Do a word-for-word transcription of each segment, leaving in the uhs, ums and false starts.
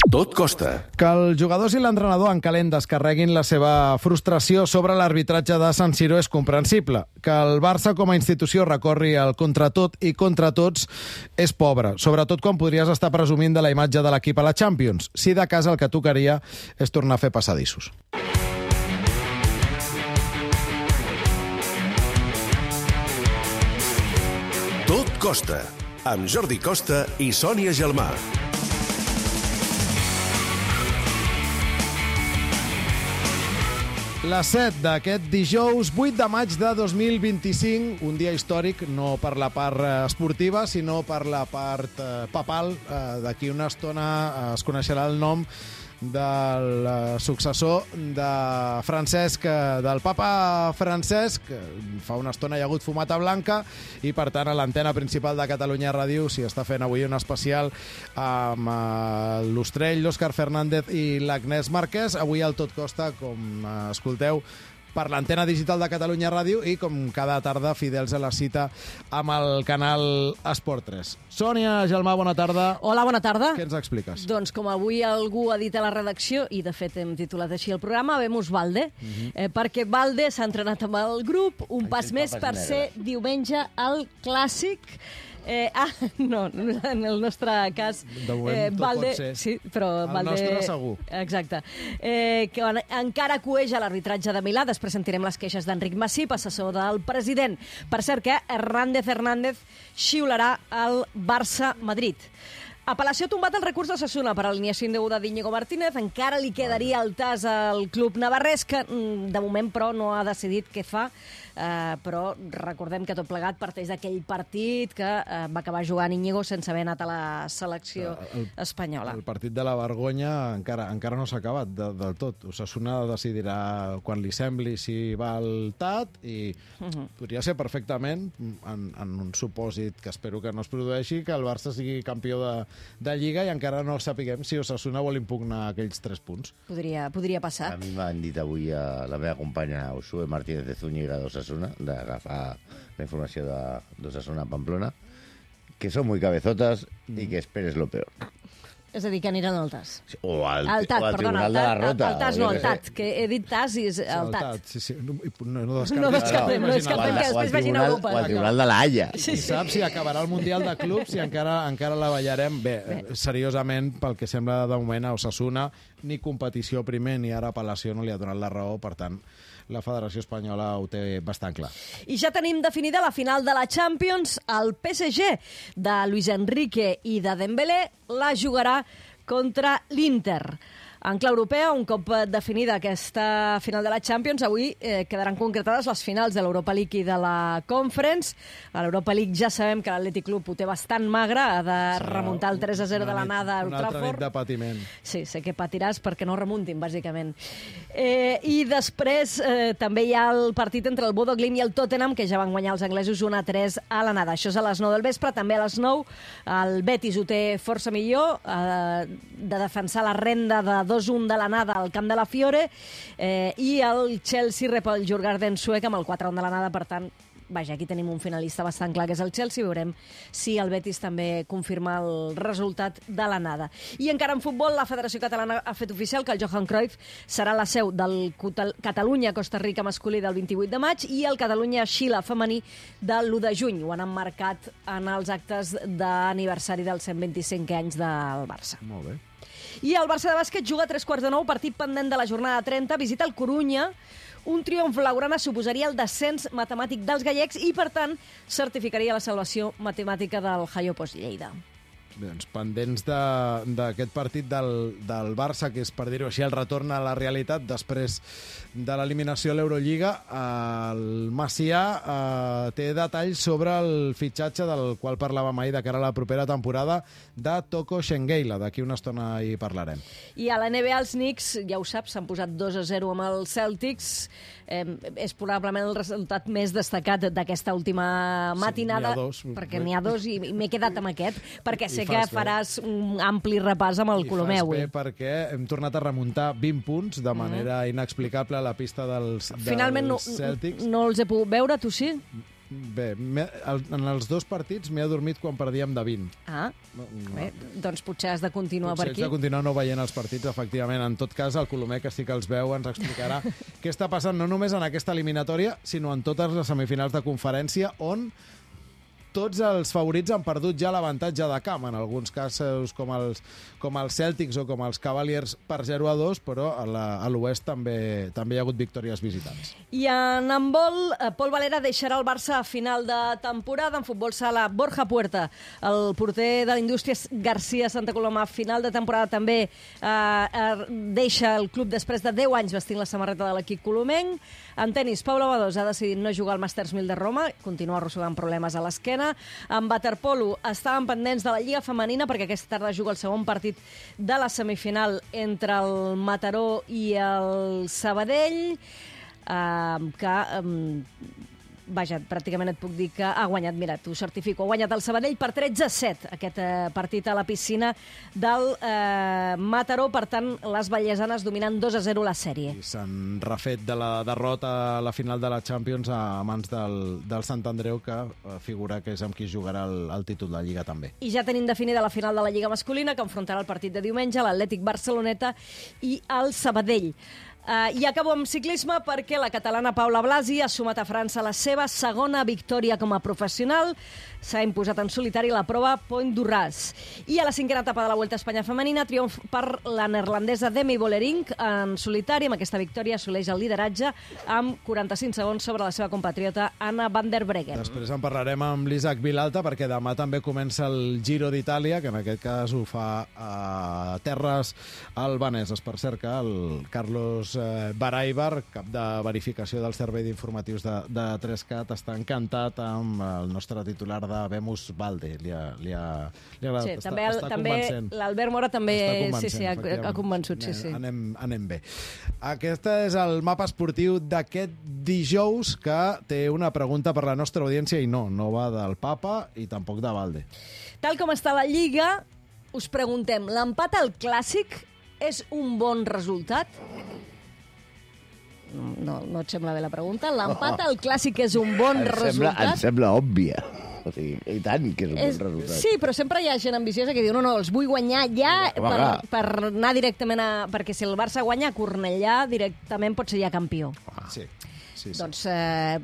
Tot costa. Que els jugadors i l'entrenador en calent descarreguin la seva frustració sobre l'arbitratge de San Siro és comprensible. Que el Barça com a institució recorri al contra tot i contra tots és pobre, sobretot quan podries estar presumint de la imatge de l'equip a la Champions. Si de casa el que tocaria és tornar a fer passadissos. Tot costa, amb Jordi Costa i Sònia Gelmà. Les set d'aquest dijous vuit de maig de dos mil vint-i-cinc, un dia històric no per la part esportiva, sinó per la part eh, papal. Eh, D'aquí una estona es coneixerà el nom del successor de Francesc, del papa Francesc. Fa una estona hi ha hagut fumata blanca i, per tant, a l'antena principal de Catalunya Ràdio s'hi està fent avui un especial amb l'Ostrell, l'Òscar Fernández i l'Agnès Marquès. Avui al Tot Costa, com escolteu, per l'antena digital de Catalunya Ràdio i, com cada tarda, fidels a la cita amb el canal Esport tres. Sònia Gelmà, bona tarda. Hola, bona tarda. Què ens expliques? Doncs com avui algú ha dit a la redacció, i de fet hem titulat així el programa, vemos Valde, uh -huh. eh, perquè Valde s'ha entrenat amb el grup, un Ai, pas més per ser diumenge al Clàssic. Eh, ah, no, en el nostre cas... De moment eh, tot Valde, pot ser. Sí, però el Valde, nostre segur. Exacte. Eh, que encara coeja l'arbitratge de Milà. Després sentirem les queixes d'Enric Massip, assessor del president. Per cert que Hernández Hernández xiularà el Barça-Madrid. Apel·lació ha tombat el recurs d'Osasuna per alineació indeguda d'Íñigo Martínez. Encara li quedaria el tas al club navarrès, que de moment, però, no ha decidit què fa. Uh, però recordem que tot plegat parteix d'aquell partit que uh, va acabar jugant Íñigo sense haver anat a la selecció el, espanyola. El partit de la vergonya encara encara no s'ha acabat de, del tot. Osasuna decidirà quan li sembli si va al T A T i uh -huh. podria ser perfectament, en, en un supòsit que espero que no es produeixi, que el Barça sigui campió de, de Lliga i encara no sapiguem si Osasuna vol impugnar aquells tres punts. Podria, podria passar. A mi m'han dit avui a la meva companya Usue Martínez de Zúñiga d'Osasuna, d'agafar la informació d'Osasuna a Pamplona, que són muy cabezotas i que esperes lo peor. És a dir, que aniran al T A S. O al, al T A T, o al perdona, Tribunal de la Rota. Al T A S no, al T A T, que he dit T A S i és el T A T. Sí, sí, no, no descartem, no descartem, no descartem que després vagin a Europa. O al Tribunal de la Haya. Sí, sí. Saps si acabarà el Mundial de Clubs i encara encara la ballarem. Bé, Bé, seriosament, pel que sembla de moment a Osasuna, ni competició primer ni ara apel·lació no li ha donat la raó, per tant, la Federació Espanyola ho té bastant clar. I ja tenim definida la final de la Champions. El P S G de Luis Enrique i de Dembélé la jugarà contra l'Inter. En clau europea, un cop definida aquesta final de la Champions, avui eh, quedaran concretades les finals de l'Europa League i de la Conference. A l'Europa League ja sabem que l'Atlètic Club ho té bastant magre, ha de remuntar el tres a zero de l'anada a Old Trafford. Una altra nit de patiment. Sí, sé que patiràs perquè no remuntin, bàsicament. Eh, I després eh, també hi ha el partit entre el Bodo Glimt i el Tottenham, que ja van guanyar els anglesos un a tres a l'anada. Això és a les nou del vespre. També a les nou el Betis ho té força millor, eh, de defensar la renda de dos un de l'anada al camp de la Fiore, eh, i el Chelsea rep el Djurgården suec amb el quatre un de l'anada. Per tant, vaja, aquí tenim un finalista bastant clar, que és el Chelsea. Veurem si el Betis també confirma el resultat de l'anada. I encara en futbol, la Federació Catalana ha fet oficial que el Johan Cruyff serà la seu del Catalunya-Costa Rica masculí del vint-i-vuit de maig i el Catalunya-Xile femení de l'u de juny. Ho han emmarcat en els actes d'aniversari dels cent vint-i-cinc anys del Barça. Molt bé. I el Barça de bàsquet juga a tres quarts de nou, partit pendent de la jornada trenta, visita el Corunya. Un triomf blaugrana suposaria el descens matemàtic dels gallecs i, per tant, certificaria la salvació matemàtica del Hayo Post Lleida. Doncs pendents d'aquest partit del, del Barça, que és, per dir-ho així, el retorn a la realitat després de l'eliminació a l'Eurolliga. El Macià eh, té detalls sobre el fitxatge del qual parlàvem ahir de cara a la propera temporada de Toko Shengeila. D'aquí una estona hi parlarem. I a la N B A els Knicks, ja ho saps, s'han posat dos a zero amb els Celtics. Eh, és probablement el resultat més destacat d'aquesta última matinada. Sí, n'hi ha dos. Perquè n'hi ha dos i m'he quedat amb aquest, perquè sé que bé. faràs un ampli repàs amb el Colomeu. I fas bé perquè hem tornat a remuntar vint punts de manera mm. inexplicable a la pista dels, dels Finalment no, Celtics. no els he pogut veure, tu sí? Bé, en els dos partits m'he adormit quan perdíem de vint. Ah, no. Bé, doncs potser has de continuar potser per aquí. Potser has de continuar no veient els partits, efectivament. En tot cas, el Colomer, que sí que els veu, ens explicarà què està passant no només en aquesta eliminatòria, sinó en totes les semifinals de conferència, on tots els favorits han perdut ja l'avantatge de camp, en alguns casos com els, com els Celtics o com els Cavaliers per zero a dos, però a l'Oest també, també hi ha hagut victòries visitants. I en handbol, Pol Valera deixarà el Barça a final de temporada. En futbol sala, Borja Puerta, el porter de l'Indústries García Santa Coloma, a final de temporada també eh, deixa el club després de deu anys vestint la samarreta de l'equip colomenc. En tenis, Pau Lavadós ha decidit no jugar al Masters mil de Roma, continua arrossegant problemes a l'esquena. En waterpolo estaven pendents de la Lliga Femenina perquè aquesta tarda juga el segon partit de la semifinal entre el Mataró i el Sabadell, eh, que... Eh, Vaja, pràcticament et puc dir que ha guanyat, mira, t'ho certifico, ha guanyat el Sabadell per tretze a set, aquest eh, partit a la piscina del eh, Mataró. Per tant, les vallesanes dominant dos a zero la sèrie. I s'han refet de la derrota a la final de la Champions a mans del, del Sant Andreu, que eh, figura que és amb qui jugarà el, el títol de Lliga també. I ja tenim definida la final de la Lliga masculina, que enfrontarà el partit de diumenge, l'Atlètic Barceloneta i el Sabadell. Uh, I acabo amb ciclisme perquè la catalana Paula Blasi ha sumat a França la seva segona victòria com a professional. S'ha imposat en solitari la prova Point d'Urràs. I a la cinquena etapa de la Vuelta a Espanya femenina, triomf per la neerlandesa Demi Vollering en solitari. Amb aquesta victòria assoleix el lideratge amb quaranta-cinc segons sobre la seva compatriota Anna van der Breggen. Després en parlarem amb l'Isaac Vilalta perquè demà també comença el Giro d'Itàlia, que en aquest cas ho fa a terres albaneses. Per cert que el Carlos Baraibar, cap de verificació del servei d'informatius de, de tres cat, està encantat amb el nostre titular de Bemus Valde. Li ha, li ha, li ha agradat. Sí, està, també, està també l'Albert Mora també sí, sí, ha, ha convençut. Sí, sí. Anem, anem bé. Aquest és el mapa esportiu d'aquest dijous, que té una pregunta per la nostra audiència i no, no va del Papa i tampoc de Valde. Tal com està la Lliga, us preguntem, l'empat al Clàssic és un bon resultat? No, no et sembla bé la pregunta? L'empat al Clàssic és un bon em resultat? Sembla, em sembla òbvia. O sigui, i tant que és un és, bon resultat. Sí, però sempre hi ha gent ambiciosa que diu no, no, els vull guanyar ja per, per anar directament a... Perquè si el Barça guanya a Cornellà, directament pot ser ja campió. Ah. Sí, sí, sí. Doncs eh,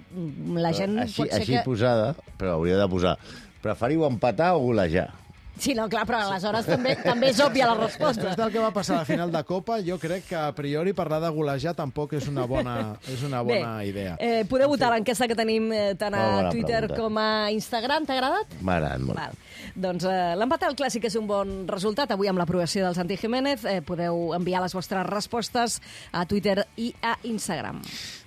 la gent així, pot ser així que... posada, però hauria de posar preferiu empatar o golejar? Sí, no, clar, però aleshores també, també és òbvia la resposta. Després del que va passar a la final de Copa, jo crec que a priori parlar de golejar tampoc és una bona, és una bona Bé, idea. Eh, podeu votar l'enquesta que tenim eh, tant a Bona Twitter pregunta. com a Instagram. T'ha agradat? M'ha agradat molt. Val. Doncs eh, l'empat al Clàssic és un bon resultat. Avui amb l'aprovació del Santi Jiménez eh, podeu enviar les vostres respostes a Twitter i a Instagram.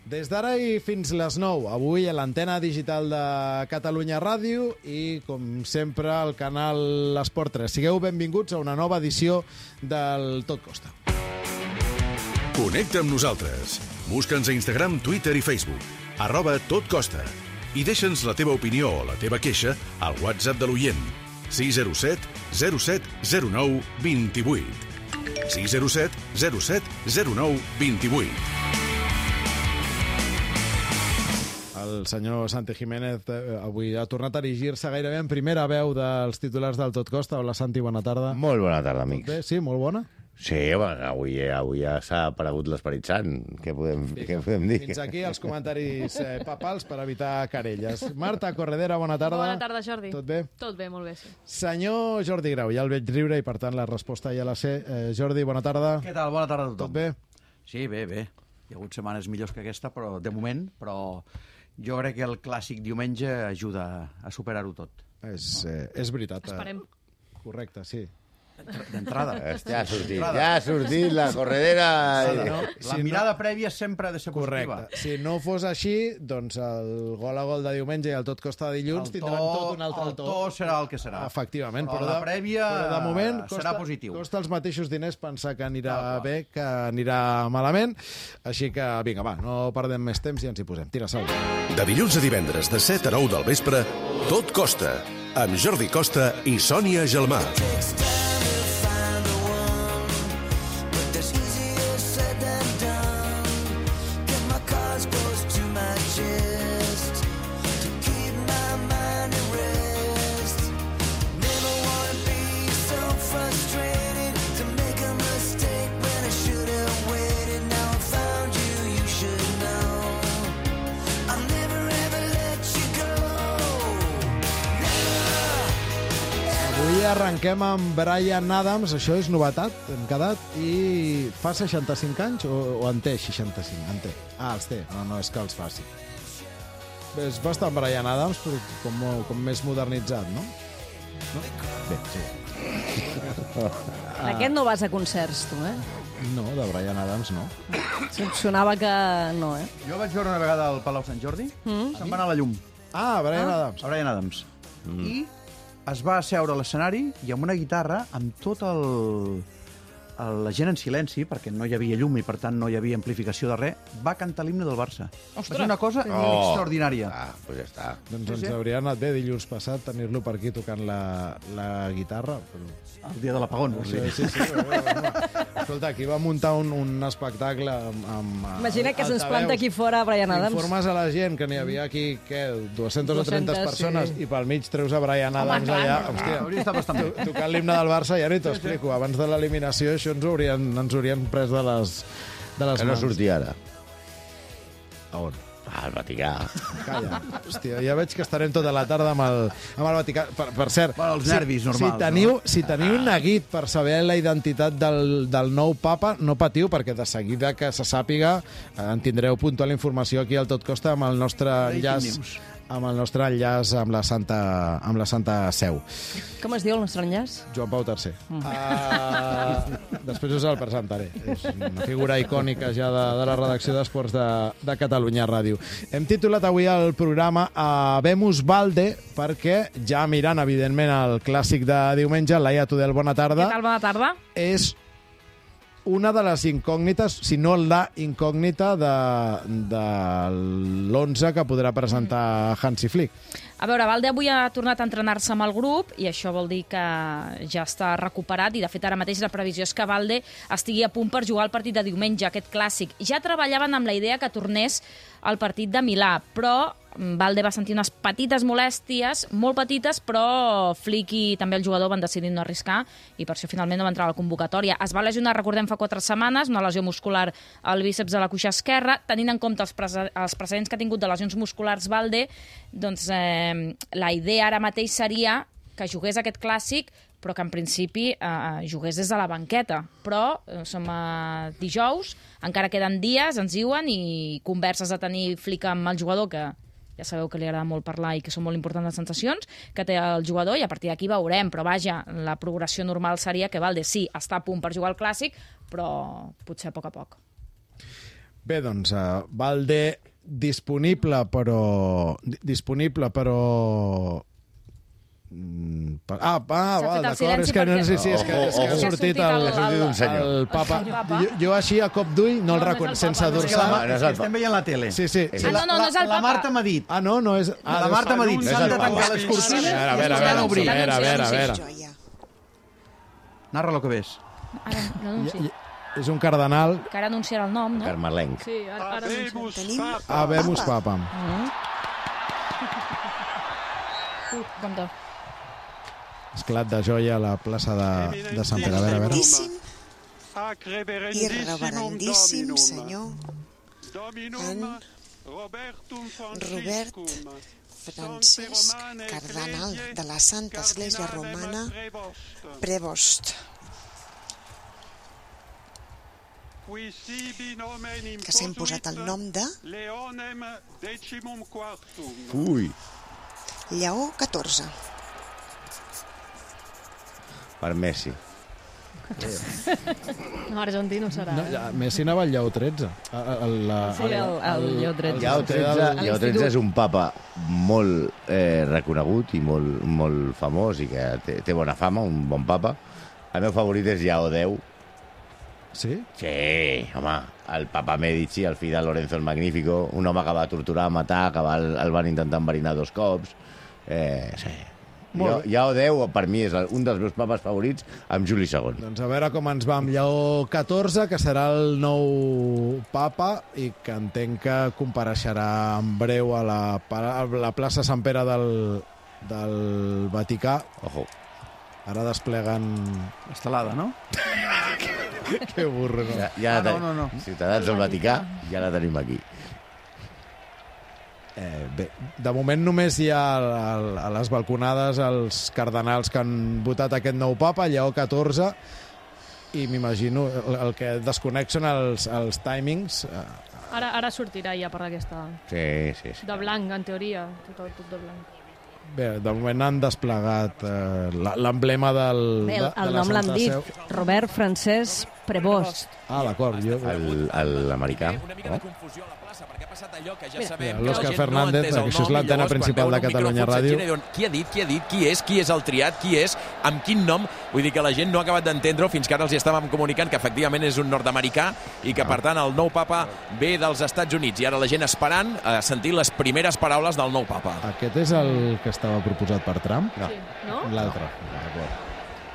Des d'ara i fins les nou, avui a l'antena digital de Catalunya Ràdio i, com sempre, al canal Esport tres. Sigueu benvinguts a una nova edició del Tot Costa. Connecta amb nosaltres. Busca'ns a Instagram, Twitter i Facebook. Arroba Tot Costa. I deixa'ns la teva opinió o la teva queixa al WhatsApp de l'oient. sis zero set zero set zero nou dos vuit. sis zero set zero set zero nou dos vuit. El senyor Santi Jiménez eh, avui ha tornat a erigir-se gairebé en primera veu dels titulars del Tot Costa. Hola, Santi, bona tarda. Molt bona tarda, amics. Tot bé? Sí, molt bona? Sí, bueno, avui, avui ja s'ha aparegut l'Esperit Sant. Què podem, què podem dir? Fins aquí els comentaris eh, papals per evitar querelles. Marta Corredera, bona tarda. Bona tarda, Jordi. Tot bé? Tot bé, molt bé, sí. Senyor Jordi Grau, ja el veig riure i, per tant, la resposta ja la sé. Eh, Jordi, bona tarda. Què tal? Bona tarda a tothom. Tot bé? Sí, bé, bé. Hi ha hagut setmanes millors que aquesta, però de moment, però jo crec que el clàssic diumenge ajuda a superar-ho tot. És, eh, és veritat. Esperem. Correcte, sí. D'entrada. Ja ha sortit, ja ha sortit la corredera. Sí, no? La Si mirada prèvia sempre ha de ser positiva. Correcte. Si no fos així, doncs el gol a gol de diumenge i el Tot Costa de dilluns El to, tindran tot un altre el to serà el que serà. Efectivament. Però la de, prèvia però de moment serà costa, positiu. costa els mateixos diners pensar que anirà Clar, clar. bé que anirà malament. Així que, vinga, va, no perdem més temps i ens hi posem. Tira, Saúl. De dilluns a divendres, de set a nou del vespre, Tot Costa, amb Jordi Costa i Sònia Gelmà. arrenquem amb Bryan Adams, això és novetat, hem quedat, i fa seixanta-cinc anys o, o en té seixanta-cinc? En té. Ah, els té, no, no és que els faci. És bastant Bryan Adams, però com, com més modernitzat, no? no? Bé, sí. Aquest no vas a concerts, tu, eh? No, de Bryan Adams no. Em sonava que no, eh? Jo vaig veure una vegada al Palau Sant Jordi, mm. se'n va anar a la llum. Ah, Bryan ah. Adams. A Bryan Adams. Mm. I es va asseure a l'escenari i amb una guitarra, amb tot el... el... la gent en silenci, perquè no hi havia llum i, per tant, no hi havia amplificació de res, va cantar l'himne del Barça. Ostres. Va ser una cosa oh. extraordinària. Ah, doncs pues ja està. Doncs sí, ens sí. hauria anat bé dilluns passat tenir-lo per aquí tocant la, la guitarra. Però... El dia de l'apagón. Sí, sí, sí. Escolta, aquí va muntar un, un espectacle amb... amb Imagina que se'ns planta aquí fora Bryan Adams. Informes a la gent que n'hi havia aquí, què, dues-centes o trenta persones, sí. I pel mig treus a Bryan Adams Home, allà. clar, Hòstia, hauria estat bastant bé. Tocant l'himne del Barça, ja ni t'ho explico. Abans de l'eliminació això ens haurien, ens haurien pres de les, de les que mans. no surti ara. A on? Ah, al Vaticà. Calla. Hòstia, ja veig que estarem tota la tarda amb el, amb el Vaticà. Per, per cert, bueno, els nervis si, normals. Si teniu, no? si teniu un neguit per saber la identitat del, del nou papa, no patiu, perquè de seguida que se sàpiga en tindreu puntual informació aquí al Tot Costa amb el nostre enllaç amb el nostre enllaç amb la Santa, amb la Santa Seu. Com es diu el nostre enllaç? Joan Pau tercer. Mm. Uh, després us el presentaré. És una figura icònica ja de, de la redacció d'Esports de, de Catalunya Ràdio. Hem titulat avui el programa Habemus Valde perquè ja mirant, evidentment, el clàssic de diumenge, Laia Tudel, bona tarda. Què tal, bona tarda? És una de les incògnites, si no la incògnita de, de l'onze que podrà presentar Hansi Flick. A veure, Valde avui ha tornat a entrenar-se amb el grup i això vol dir que ja està recuperat i, de fet, ara mateix la previsió és que Valde estigui a punt per jugar el partit de diumenge, aquest clàssic. Ja treballaven amb la idea que tornés al partit de Milà, però Valde va sentir unes petites molèsties, molt petites, però Flick i també el jugador van decidir no arriscar i per això finalment no va entrar a la convocatòria. Es va lesionar, recordem, fa quatre setmanes, una lesió muscular al bíceps de la cuixa esquerra. Tenint en compte els, pre els precedents que ha tingut de lesions musculars Valde, doncs eh, la idea ara mateix seria que jugués aquest clàssic, però que en principi eh, jugués des de la banqueta. Però eh, som a dijous, encara queden dies, ens diuen, i converses a tenir Flick amb el jugador, que ja sabeu que li agrada molt parlar i que són molt importants les sensacions que té el jugador, i a partir d'aquí veurem. Però vaja, la progressió normal seria que Valde sí, està a punt per jugar al clàssic, però potser a poc a poc. Bé, doncs, uh, Valde disponible, però... Disponible, però... Mm, per... Ah, ah va, d'acord, és que, no, sí, sí, és que, és que ha sortit el, el, el papa. Jo, jo així a cop d'ull no el reconec, sense dorsal. No, estem veient la tele. Sí, sí. Ah, no, no, no és el la, la papa. Marta m'ha dit. Ah, no, no és... Ah, la Marta m'ha dit, no s'han de tancar les cortines. A veure, a veure, a veure, a veure, a veure. Narra lo que ves. Ara, l'anunci. És un cardenal. Que ara anunciarà el nom, no? Carmelenc. Sí, ara, ara anunciarà. Habemus Papa. Uh, bon to. Esclat de joia a la plaça de, de Sant Pere. A veure, a veure. I reverendíssim senyor en Robert Francesc, cardenal de la Santa Església Romana, Prevost, que s'ha imposat el nom de Ui. Lleó catorze. Per Messi. No, argentí no serà. No, ja, Messi anava al Lleó tretze. El, la, Sí, el, el Lleó tretze. Lleó tretze, Lleó tretze és un papa molt eh, reconegut i molt, molt famós i que té, té bona fama, un bon papa. El meu favorit és Lleó deu. Sí? Sí, home, el papa Medici, el fill de Lorenzo el Magnífico, un home que va torturar, matar, que va, el van intentar enverinar dos cops. Eh, sí. Jo, Lleó deu, per mi, és un dels meus papes favorits, amb Juli segon. Doncs a veure com ens va amb Lleó catorze, que serà el nou papa i que entenc que compareixerà en breu a la, a la plaça Sant Pere del, del Vaticà. Ojo. Ara despleguen... Estelada, no? Que burro, no? Ja, ja ah, no, no, no. Ciutadans del Vaticà, ja la tenim aquí. Eh, bé, de moment només hi ha a les balconades els cardenals que han votat aquest nou papa, Lleó catorze, i m'imagino el, el que desconec són els, els timings. Ara, ara sortirà ja per aquesta... Sí, sí, sí. De blanc, en teoria, tot, tot de blanc. Bé, de moment han desplegat eh, l'emblema del... Bé, el, de, de el la nom l'han Santa dit, Seu. Robert Francesc Prevost. Ah, d'acord. Jo... L'americà. Una mica de confusió a la plaça, perquè ha passat allò que ja Mira, sabem... l'Òscar que la gent Fernández, no ha entès el això és nom, i l'antena llavors, quan principal veuen de un Catalunya micròfon Ràdio. s'aixequen i diuen, qui ha dit, qui ha dit, qui és, qui és el triat, qui és, amb quin nom? Vull dir que la gent no ha acabat d'entendre-ho, fins que ara els hi estàvem comunicant que efectivament és un nord-americà i que, per tant, el nou papa ve dels Estats Units. I ara la gent esperant a sentir les primeres paraules del nou papa. Aquest és el que estava proposat per Trump? No. Sí, no? L'altre. D'acord.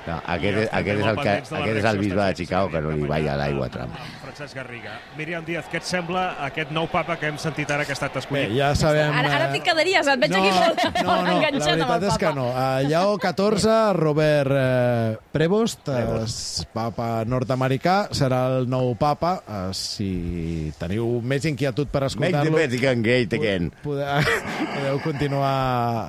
No, aquest, és, aquest, és el que, aquest és el bisbe de Chicago que no li balla l'aigua a Trump. Francesc Garriga. Míriam Díaz, què et sembla aquest nou papa que hem sentit ara que ha estat escollit? Bé, ja sabem... Ara, ara t'hi quedaries, et veig no, aquí molt, no, molt no, enganxat la amb el veritat és que papa. no. Uh, Lleó catorze, Robert uh, Prevost, uh, papa nord-americà, serà el nou papa. Uh, si teniu més inquietud per Make the escoltar-lo... Vatican great again. Podeu, podeu continuar...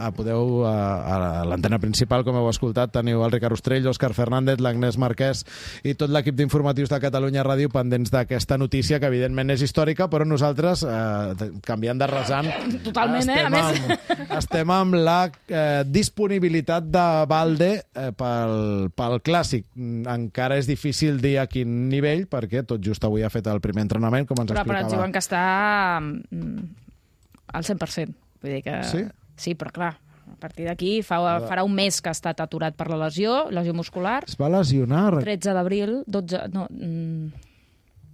A, podeu, a, a l'antena principal, com heu escoltat, teniu el Ricard Ostrell, Òscar Fernández, l'Agnès Marquès i tot l'equip d'informatius de Catalunya Ràdio pendents d'aquesta notícia, que evidentment és històrica, però nosaltres, eh, canviant de rasant, Totalment, eh? A estem, més... amb, estem amb la eh, disponibilitat de Valde eh, pel, pel Clàssic. Encara és difícil dir a quin nivell, perquè tot just avui ha fet el primer entrenament, com ens Però, però ens explicava. diuen que està mm, al cent per cent. Vull dir que... Sí? Sí, però clar, a partir d'aquí fa, farà un mes que ha estat aturat per la lesió, lesió muscular. Es va lesionar... tretze d'abril, dotze... No, mm,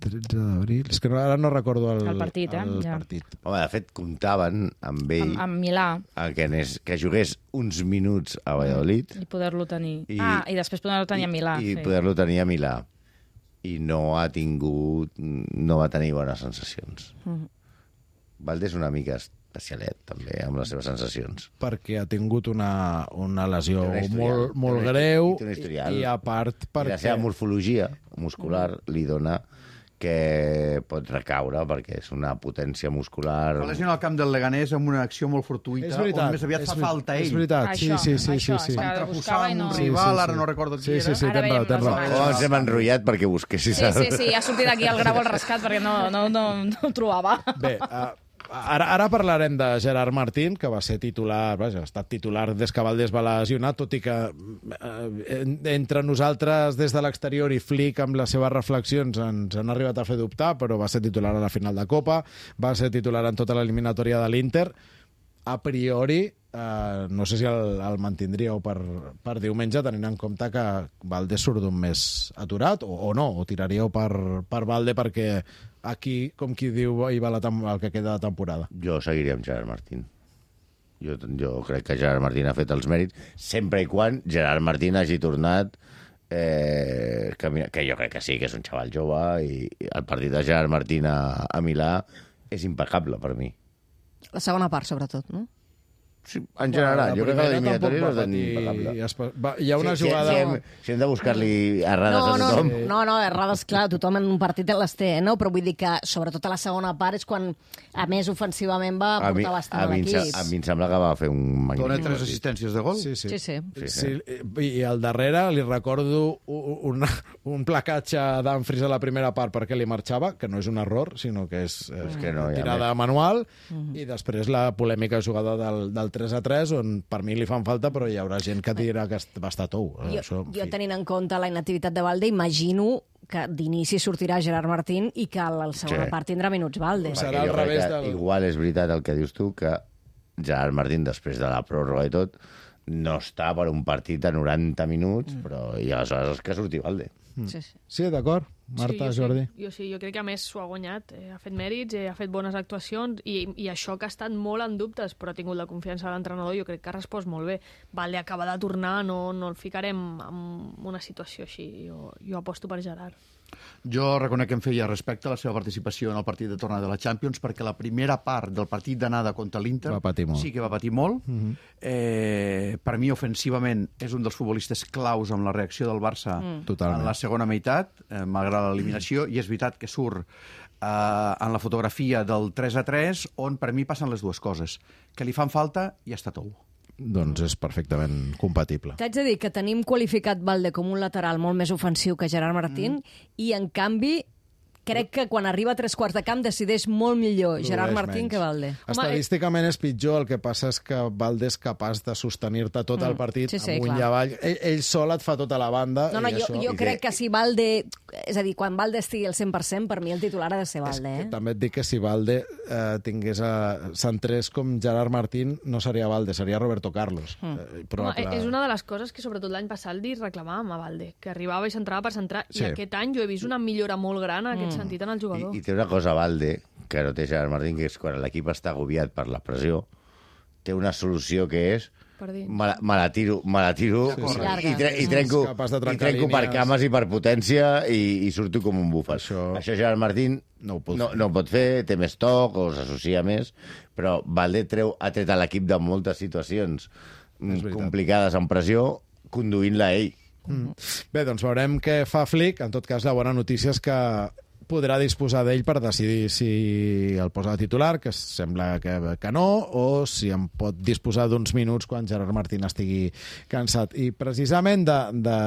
tretze d'abril... És que no, ara no recordo el, El partit, eh? el Ja. partit. Home, de fet, comptaven amb ell amb, amb Milà, a que, anés, que jugués uns minuts a Valladolid i poder-lo tenir... I- ah, i després poder-lo tenir a Milà. i, i sí. poder-lo tenir a Milà. I no ha tingut... no va tenir bones sensacions. Mhm. Valde és una mica especialet, també, amb les seves sensacions. Perquè ha tingut una, una lesió Té un historial, molt, molt té un greu historial, té un historial. i a part I perquè... la seva morfologia muscular li dona que pot recaure perquè és una potència muscular... Va lesionar al camp del Leganés amb una acció molt fortuïta, És veritat, on més aviat és fa veri- falta ell. És veritat, Això, sí, sí, sí. això, sí, sí. és que Entreposar buscava i amb no... un Sí, rival, sí, ara sí. no recordo qui Sí, era. sí, sí, Ara tens raó, veiem tens les raó. imatges. Oh, ens hem enrotllat perquè busquessis... Sí, sí, el- sí, ha sortit aquí el grau al rescat perquè no, no, no, no ho trobava. Bé, uh, ara, ara parlarem de Gerard Martín, que va ser titular, vaja, ha estat titular des que Valdés va lesionar, tot i que eh, entre nosaltres des de l'exterior i Flick amb les seves reflexions ens han arribat a fer dubtar, però va ser titular a la final de Copa, va ser titular en tota l'eliminatòria de l'Inter. A priori, eh, no sé si el, el mantindríeu per, per diumenge, tenint en compte que Valdés surt d'un mes aturat, o, o no, o tiraríeu per, per Valde perquè aquí, com qui diu, hi va la tem- el que queda de temporada. Jo seguiria amb Gerard Martín. Jo, jo crec que Gerard Martín ha fet els mèrits, sempre i quan Gerard Martín hagi tornat, eh, que, que jo crec que sí, que és un xaval jove, i el partit de Gerard Martín a, a Milà és impecable per mi. La segona part, sobretot, no? Sí, en general, jo crec que l'eliminatòria tampoc és va patir- impecable. i es pa- va- Hi ha una si, jugada... Si, hem, si hem de buscar-li errades No, a no, tothom... no, no, errades, clar, tothom en un partit les té, no? Però vull dir que, sobretot a la segona part, és quan, a més, ofensivament va A mi, portar a, bastant a mi, em se- l'equip. a mi em sembla que va fer un Dona magnífic tres partit. assistències de gol. Sí, sí. Sí, sí. Sí, Sí, i al darrere li recordo un, un placatge d'Anfris a la primera part perquè li marxava, que no és un error, sinó que és, eh, És que no hi ha tirada manual, i després la polèmica jugada del, del tres a tres, on per mi li fan falta, però hi haurà gent que dirà que est- va estar tou. Eh, Jo, Això, en jo fi. tenint en compte la inactivitat de Valde, imagino que d'inici sortirà Gerard Martín i que a la segona Sí. part tindrà minuts Valde. Serà Perquè al jo crec revés que del- Igual és veritat el que dius tu, que Gerard Martín, després de la pròrroga i tot, no està per un partit de noranta minuts, mm. però i aleshores que surti Valde. Sí, sí. Sí, d'acord. Marta, sí, jo Jordi. Sí, jo sí, jo crec que a més s'ho ha guanyat, eh, ha fet mèrits, eh, ha fet bones actuacions i, i això que ha estat molt en dubtes, però ha tingut la confiança de l'entrenador, jo crec que ha respost molt bé. Valde acaba de tornar, no, no el ficarem en una situació així. Jo, jo aposto per Gerard. Jo reconec que em feia respecte a la seva participació en el partit de tornada de la Champions, perquè la primera part del partit d'anada contra l'Inter Va patir molt. sí que va patir molt. Uh -huh. eh, per mi, ofensivament, és un dels futbolistes claus amb la reacció del Barça Mm. Totalment. en la segona meitat, eh, malgrat de l'eliminació, i és veritat que surt eh, en la fotografia del tres a tres, on per mi passen les dues coses, que li fan falta i està tou. Doncs és perfectament compatible. T'haig de dir que tenim qualificat Valde com un lateral molt més ofensiu que Gerard Martín, mm. i en canvi crec que quan arriba a tres quarts de camp decideix molt millor Gerard Martín menys. que Valde. Estadísticament és pitjor, el que passa és que Valde és capaç de sostenir-te tot el partit sí, sí, amunt clar. i avall. Ell, ell sol et fa tota la banda. No, no, i jo, això... jo crec que si Valde... És a dir, quan Valde estigui al cent per cent, per mi el titular ha de ser Valde. Eh? També et dic que si Valde eh, tingués a centrés com Gerard Martín, no seria Valde, seria Roberto Carlos. Mm. Eh, probable... Home, és una de les coses que sobretot l'any passat li reclamàvem a Valde, que arribava i centrava per centrar, sí. i aquest any jo he vist una millora molt gran en aquest mm. sentit en el jugador. I, I té una cosa, Valde, que no té Gerard Martín, que és quan l'equip està agobiat per la pressió, té una solució que és me la, me la tiro, me la tiro sí, sí. I, tre i trenco, i trenco per cames i per potència i, i surto com un bufet. Això, Això Gerard Martín no ho, no, no ho pot fer, té més toc o s'associa més, però Valde treu, ha tret a l'equip de moltes situacions complicades en pressió, conduint-la ell. Mm. Bé, doncs veurem què fa Flick. En tot cas, la bona notícia és que podrà disposar d'ell per decidir si el posa de titular, que sembla que, que no, o si en pot disposar d'uns minuts quan Gerard Martín estigui cansat. I precisament de, de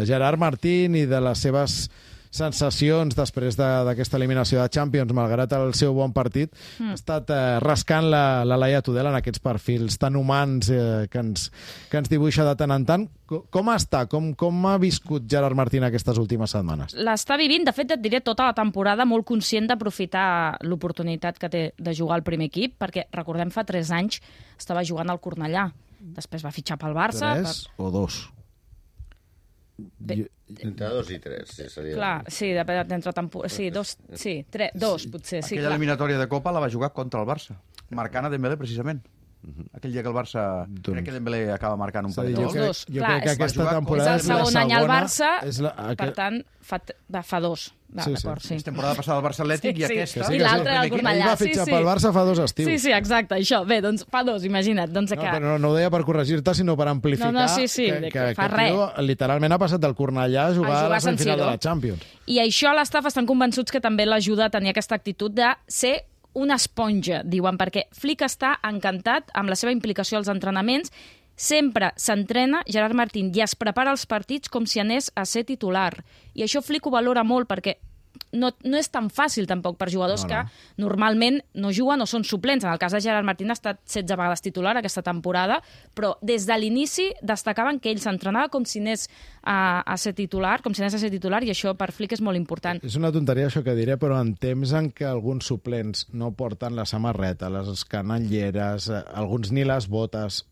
Gerard Martín i de les seves sensacions després d'aquesta de, eliminació de Champions, malgrat el seu bon partit, mm. ha estat eh, rascant la, la Laia Tudela en aquests perfils tan humans eh, que, ens, que ens dibuixa de tant en tant. Com, com està? Com, com ha viscut Gerard Martín aquestes últimes setmanes? L'està vivint, de fet, et diré, tota la temporada molt conscient d'aprofitar l'oportunitat que té de jugar al primer equip, perquè, recordem, fa tres anys estava jugant al Cornellà. Després va fitxar pel Barça. Tres per... o dos? Bé, entre dos i tres, sí, seria... Clar, sí, depèn d'entre temporada... Sí, dos, sí, tres, dos, potser, sí, Aquella clar. eliminatòria de Copa la va jugar contra el Barça, marcant a Dembélé, precisament. Aquell dia que el Barça... Doncs... Crec que Dembélé acaba marcant un parell de gols. Els dos, jo clar, crec que aquesta temporada és el segon any al Barça, la... per tant, fa, fa dos. Va, sí, sí. sí. És temporada passada al Barça Atlètic sí, i aquesta... Sí, I l'altra al Cornellà. Ell va fitxar sí, sí. pel Barça fa dos estius. Sí, sí, exacte, això. Bé, doncs fa dos, imagina't. Doncs no, que... però no, no ho deia per corregir-te, sinó per amplificar no, no, sí, sí, que, que, fa que tio, literalment ha passat del Cornellà a jugar a, a la semifinal de la Champions. I això l'estaf estan convençuts que també l'ajuda a tenir aquesta actitud de ser una esponja, diuen, perquè Flick està encantat amb la seva implicació als entrenaments. Sempre s'entrena Gerard Martín i es prepara els partits com si anés a ser titular. I això Flick ho valora molt perquè no, no és tan fàcil tampoc per jugadors no, no. que normalment no juguen o són suplents. En el cas de Gerard Martín ha estat setze vegades titular aquesta temporada, però des de l'inici destacaven que ell s'entrenava com si anés a, a ser titular, com si anés a ser titular, i això per Flick és molt important. És una tonteria això que diré, però en temps en què alguns suplents no porten la samarreta, les canelleres, alguns ni les botes...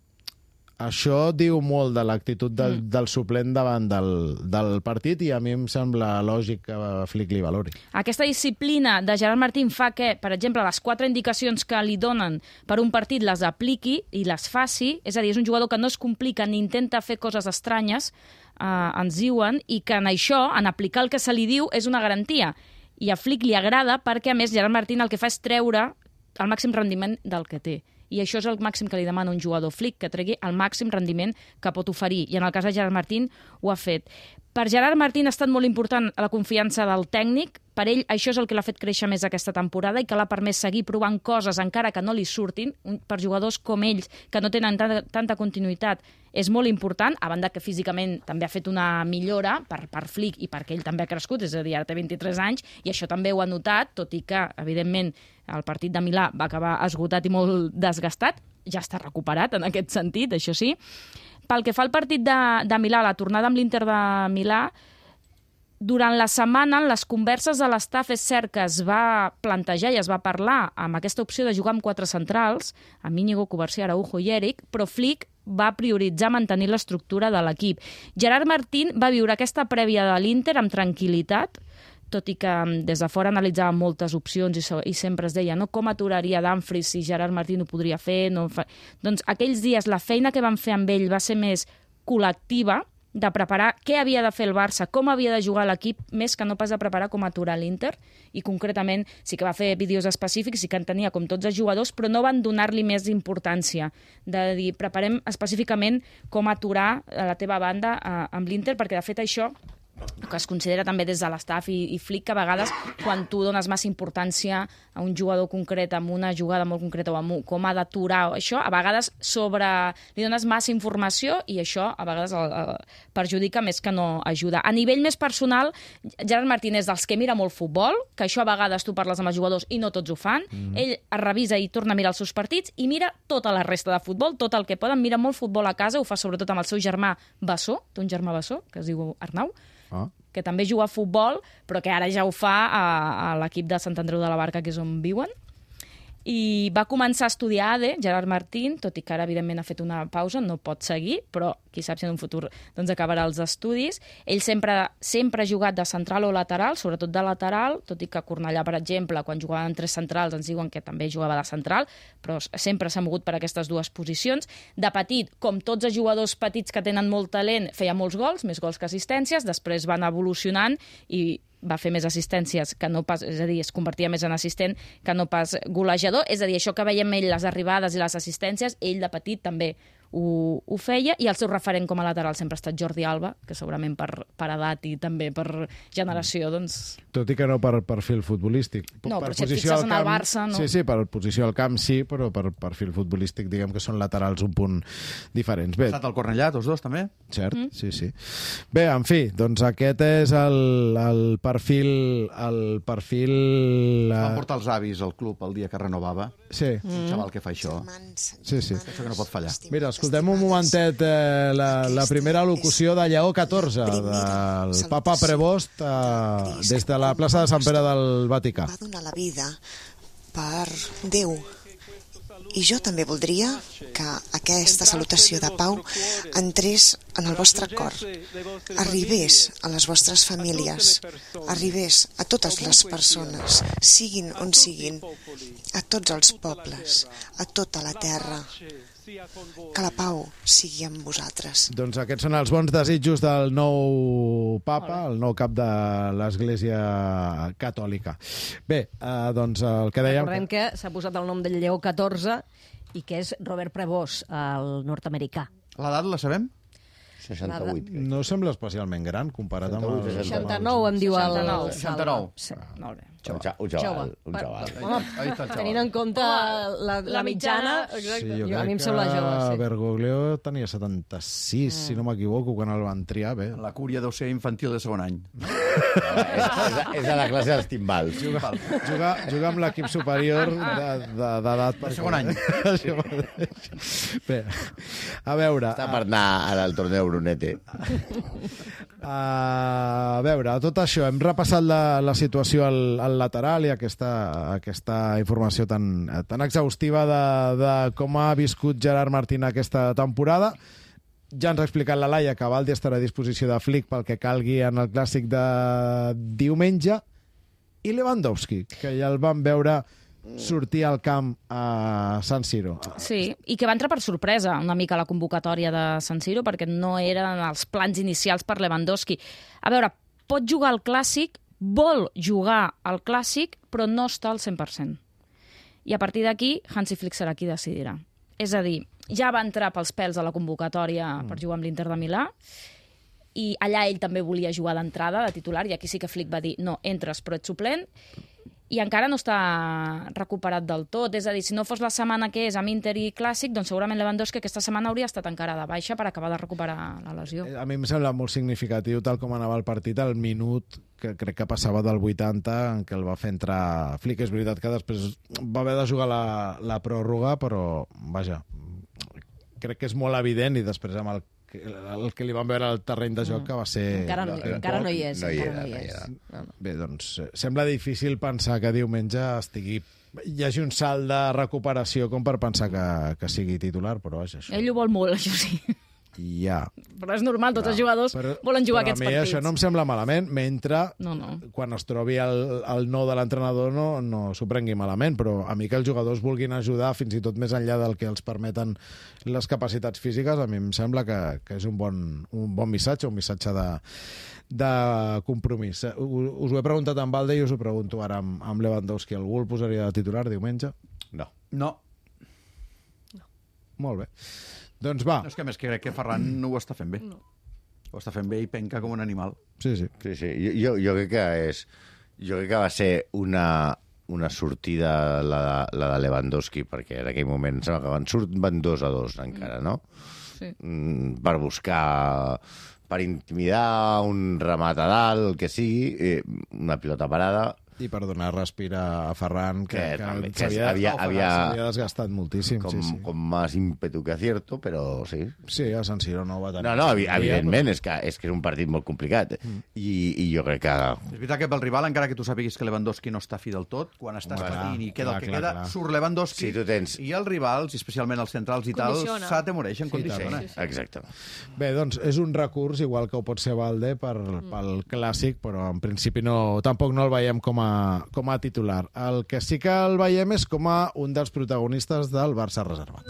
Això diu molt de l'actitud del, mm. del suplent davant del, del partit i a mi em sembla lògic que Flick li valori. Aquesta disciplina de Gerard Martín fa que, per exemple, les quatre indicacions que li donen per un partit les apliqui i les faci, és a dir, és un jugador que no es complica ni intenta fer coses estranyes, eh, ens diuen, i que en això, en aplicar el que se li diu, és una garantia. I a Flick li agrada perquè, a més, Gerard Martín el que fa és treure el màxim rendiment del que té. I això és el màxim que li demana un jugador Flick, que tregui el màxim rendiment que pot oferir. I en el cas de Gerard Martín ho ha fet. Per Gerard Martín ha estat molt important la confiança del tècnic. Per ell això és el que l'ha fet créixer més aquesta temporada i que l'ha permès seguir provant coses encara que no li surtin. Per jugadors com ells, que no tenen tanta, tanta continuïtat, és molt important, a banda que físicament també ha fet una millora per, per Flick i perquè ell també ha crescut, és a dir, ara té vint-i-tres anys, i això també ho ha notat, tot i que, evidentment, el partit de Milà va acabar esgotat i molt desgastat, ja està recuperat en aquest sentit, això sí. Pel que fa al partit de, de Milà, la tornada amb l'Inter de Milà, durant la setmana, en les converses de l'estaf, és cert que es va plantejar i es va parlar amb aquesta opció de jugar amb quatre centrals, amb Íñigo, Covarsí, Araujo i Eric, però Flick va prioritzar mantenir l'estructura de l'equip. Gerard Martín va viure aquesta prèvia de l'Inter amb tranquil·litat, tot i que des de fora analitzava moltes opcions i, so, i sempre es deia no, com aturaria Dumfries si Gerard Martín ho podria fer. No fa... Doncs aquells dies la feina que van fer amb ell va ser més col·lectiva, de preparar què havia de fer el Barça, com havia de jugar l'equip, més que no pas de preparar com aturar l'Inter, i concretament sí que va fer vídeos específics i que en tenia com tots els jugadors, però no van donar-li més importància, de dir, preparem específicament com aturar la teva banda eh, amb l'Inter, perquè de fet això que es considera també des de l'estaf i, i Flick, que a vegades quan tu dones massa importància a un jugador concret, amb una jugada molt concreta o amb un, com ha d'aturar això, a vegades sobre, li dones massa informació i això a vegades el, el perjudica més que no ajuda. A nivell més personal, Gerard Martín és dels que mira molt futbol, que això a vegades tu parles amb els jugadors i no tots ho fan. Mm. Ell es revisa i torna a mirar els seus partits i mira tota la resta de futbol, tot el que poden, mira molt futbol a casa, ho fa sobretot amb el seu germà Bessó, té un germà Bessó, que es diu Arnau, ah. que també juga a futbol, però que ara ja ho fa a, a l'equip de Sant Andreu de la Barca, que és on viuen. I va començar a estudiar A D E, Gerard Martín, tot i que ara, evidentment, ha fet una pausa, no pot seguir, però qui sap si en un futur doncs, acabarà els estudis. Ell sempre, sempre ha jugat de central o lateral, sobretot de lateral, tot i que a Cornellà, per exemple, quan jugaven tres centrals ens diuen que també jugava de central, però sempre s'ha mogut per aquestes dues posicions. De petit, com tots els jugadors petits que tenen molt talent, feia molts gols, més gols que assistències, després van evolucionant i va fer més assistències que no pas, és a dir, es convertia més en assistent que no pas golejador, és a dir, això que veiem ell, les arribades i les assistències, ell de petit també ho, ho feia, i el seu referent com a lateral sempre ha estat Jordi Alba, que segurament per, per edat i també per generació, doncs... Tot i que no per perfil futbolístic. No, per però si et fixes en el Barça, no? Sí, sí, per posició al camp sí, però per perfil futbolístic diguem que són laterals un punt diferents. Bé, ha estat al Cornellà, tots dos, també? Cert, mm. sí, sí. Bé, en fi, doncs aquest és el, el perfil... El perfil... Van portar els avis al club el dia que renovava. Sí. Mm. Un xaval que fa això. Sí, sí. Això que no pot fallar. Mira, escoltem un momentet eh, la, la primera locució de Lleó catorze, del papa Prevost, eh, des de la plaça de Sant Pere del Vaticà. Va donar la vida per Déu. I jo també voldria que aquesta salutació de pau entrés en el vostre cor, arribés a les vostres famílies, arribés a totes les persones, siguin on siguin, a tots els pobles, a tota la terra. Que la pau sigui amb vosaltres. Doncs aquests són els bons desitjos del nou papa, el nou cap de l'Església Catòlica. Bé, eh, doncs el que dèiem... Recordem que s'ha posat el nom del Lleó catorze i que és Robert Prevost, el nord-americà. L'edat la sabem? seixanta-vuit. No sembla especialment gran comparat amb el... seixanta-nou, em diu el... seixanta-nou. Sí, molt bé. Un xaval, un xaval. Home, tenint en compte la, la mitjana, sí, jo jo, a mi em crec sembla que jove. Sí. Bergoglio tenia setanta-sis, mm. si no m'equivoco, quan el van triar. Bé. La cúria deu ser infantil de segon any. és, és, és a la classe dels timbals. Juga, juga, juga amb l'equip superior d'edat. De segon any. Bé, a veure... Està per anar al torneo Brunete. A veure, a tot això, hem repassat la, la situació al, al lateral i aquesta, aquesta informació tan, tan exhaustiva de, de com ha viscut Gerard Martín aquesta temporada. Ja ens ha explicat la Laia que Baldi estarà a disposició de Flick pel que calgui en el clàssic de diumenge. I Lewandowski, que ja el vam veure sortir al camp a San Siro. Sí, i que va entrar per sorpresa una mica a la convocatòria de San Siro perquè no eren els plans inicials per Lewandowski. A veure, pot jugar al Clàssic, vol jugar al Clàssic, però no està al cent per cent. I a partir d'aquí, Hansi Flick serà qui decidirà. És a dir, ja va entrar pels pèls a la convocatòria mm. per jugar amb l'Inter de Milà, i allà ell també volia jugar d'entrada, de titular, i aquí sí que Flick va dir, no, entres però ets suplent, i encara no està recuperat del tot. És a dir, si no fos la setmana que és amb Inter i Clàssic, doncs segurament Lewandowski aquesta setmana hauria estat encara de baixa per acabar de recuperar la lesió. A mi em sembla molt significatiu, tal com anava el partit, el minut que crec que passava del vuitanta en què el va fer entrar Flick. És veritat que després va haver de jugar la, la pròrroga, però, vaja, crec que és molt evident, i després amb el el que li van veure al terreny de joc, que va ser... Encara no, encara no hi és. No hi encara era, no hi no hi és. era. Bé, doncs, sembla difícil pensar que diumenge estigui... hi hagi un salt de recuperació com per pensar que, que sigui titular, però vaja, això... Ell ho vol molt, això sí. Ja. Però és normal, tots no, els jugadors però, volen jugar aquests partits. Però a mi això no em sembla malament, mentre no, no. quan es trobi el, el no de l'entrenador no, no s'ho prengui malament, però a mi que els jugadors vulguin ajudar fins i tot més enllà del que els permeten les capacitats físiques, a mi em sembla que, que és un bon, un bon missatge, un missatge de, de compromís. Us ho he preguntat amb Balde i us ho pregunto ara amb, amb Lewandowski. Algú el posaria de titular diumenge? No. No. no. Molt bé. Doncs va. No, és que més que crec que Ferran no ho està fent bé. No. Ho està fent bé i penca com un animal. Sí, sí. Sí, sí. Jo, jo, jo crec que és... Jo crec que va ser una, una sortida la, la de Lewandowski, perquè en aquell moment em sembla que van, surt, van dos a dos encara, no? Sí. Mm, per buscar... per intimidar un remat a dalt, el que sigui, eh, una pilota parada... I per donar respirar a Ferran, que, Que que, també, que s'havia havia- havia- s'havia desgastat moltíssim. con, sí, sí. con más ímpetu que acierto, però sí. Sí, a San Siro no va tenir. No, no, evi- evidentment, és que, és que és un partit molt complicat. Mm. I, I jo crec que... És veritat que pel rival, encara que tu sàpiguis que Lewandowski no està fi del tot, quan estàs Home, clar, patint i queda clar, el que clar, queda, clar. surt Lewandowski Si tu tens- i els rivals, i especialment els centrals i tal, Condiciona. s'atemoreixen, Sí, condiciona. també. Exacte. Bé, doncs és un recurs, igual que ho pot ser Valde per, pel clàssic, però en principi no, tampoc no el veiem com a, com a titular. El que sí que el veiem és com a un dels protagonistes del Barça reservat.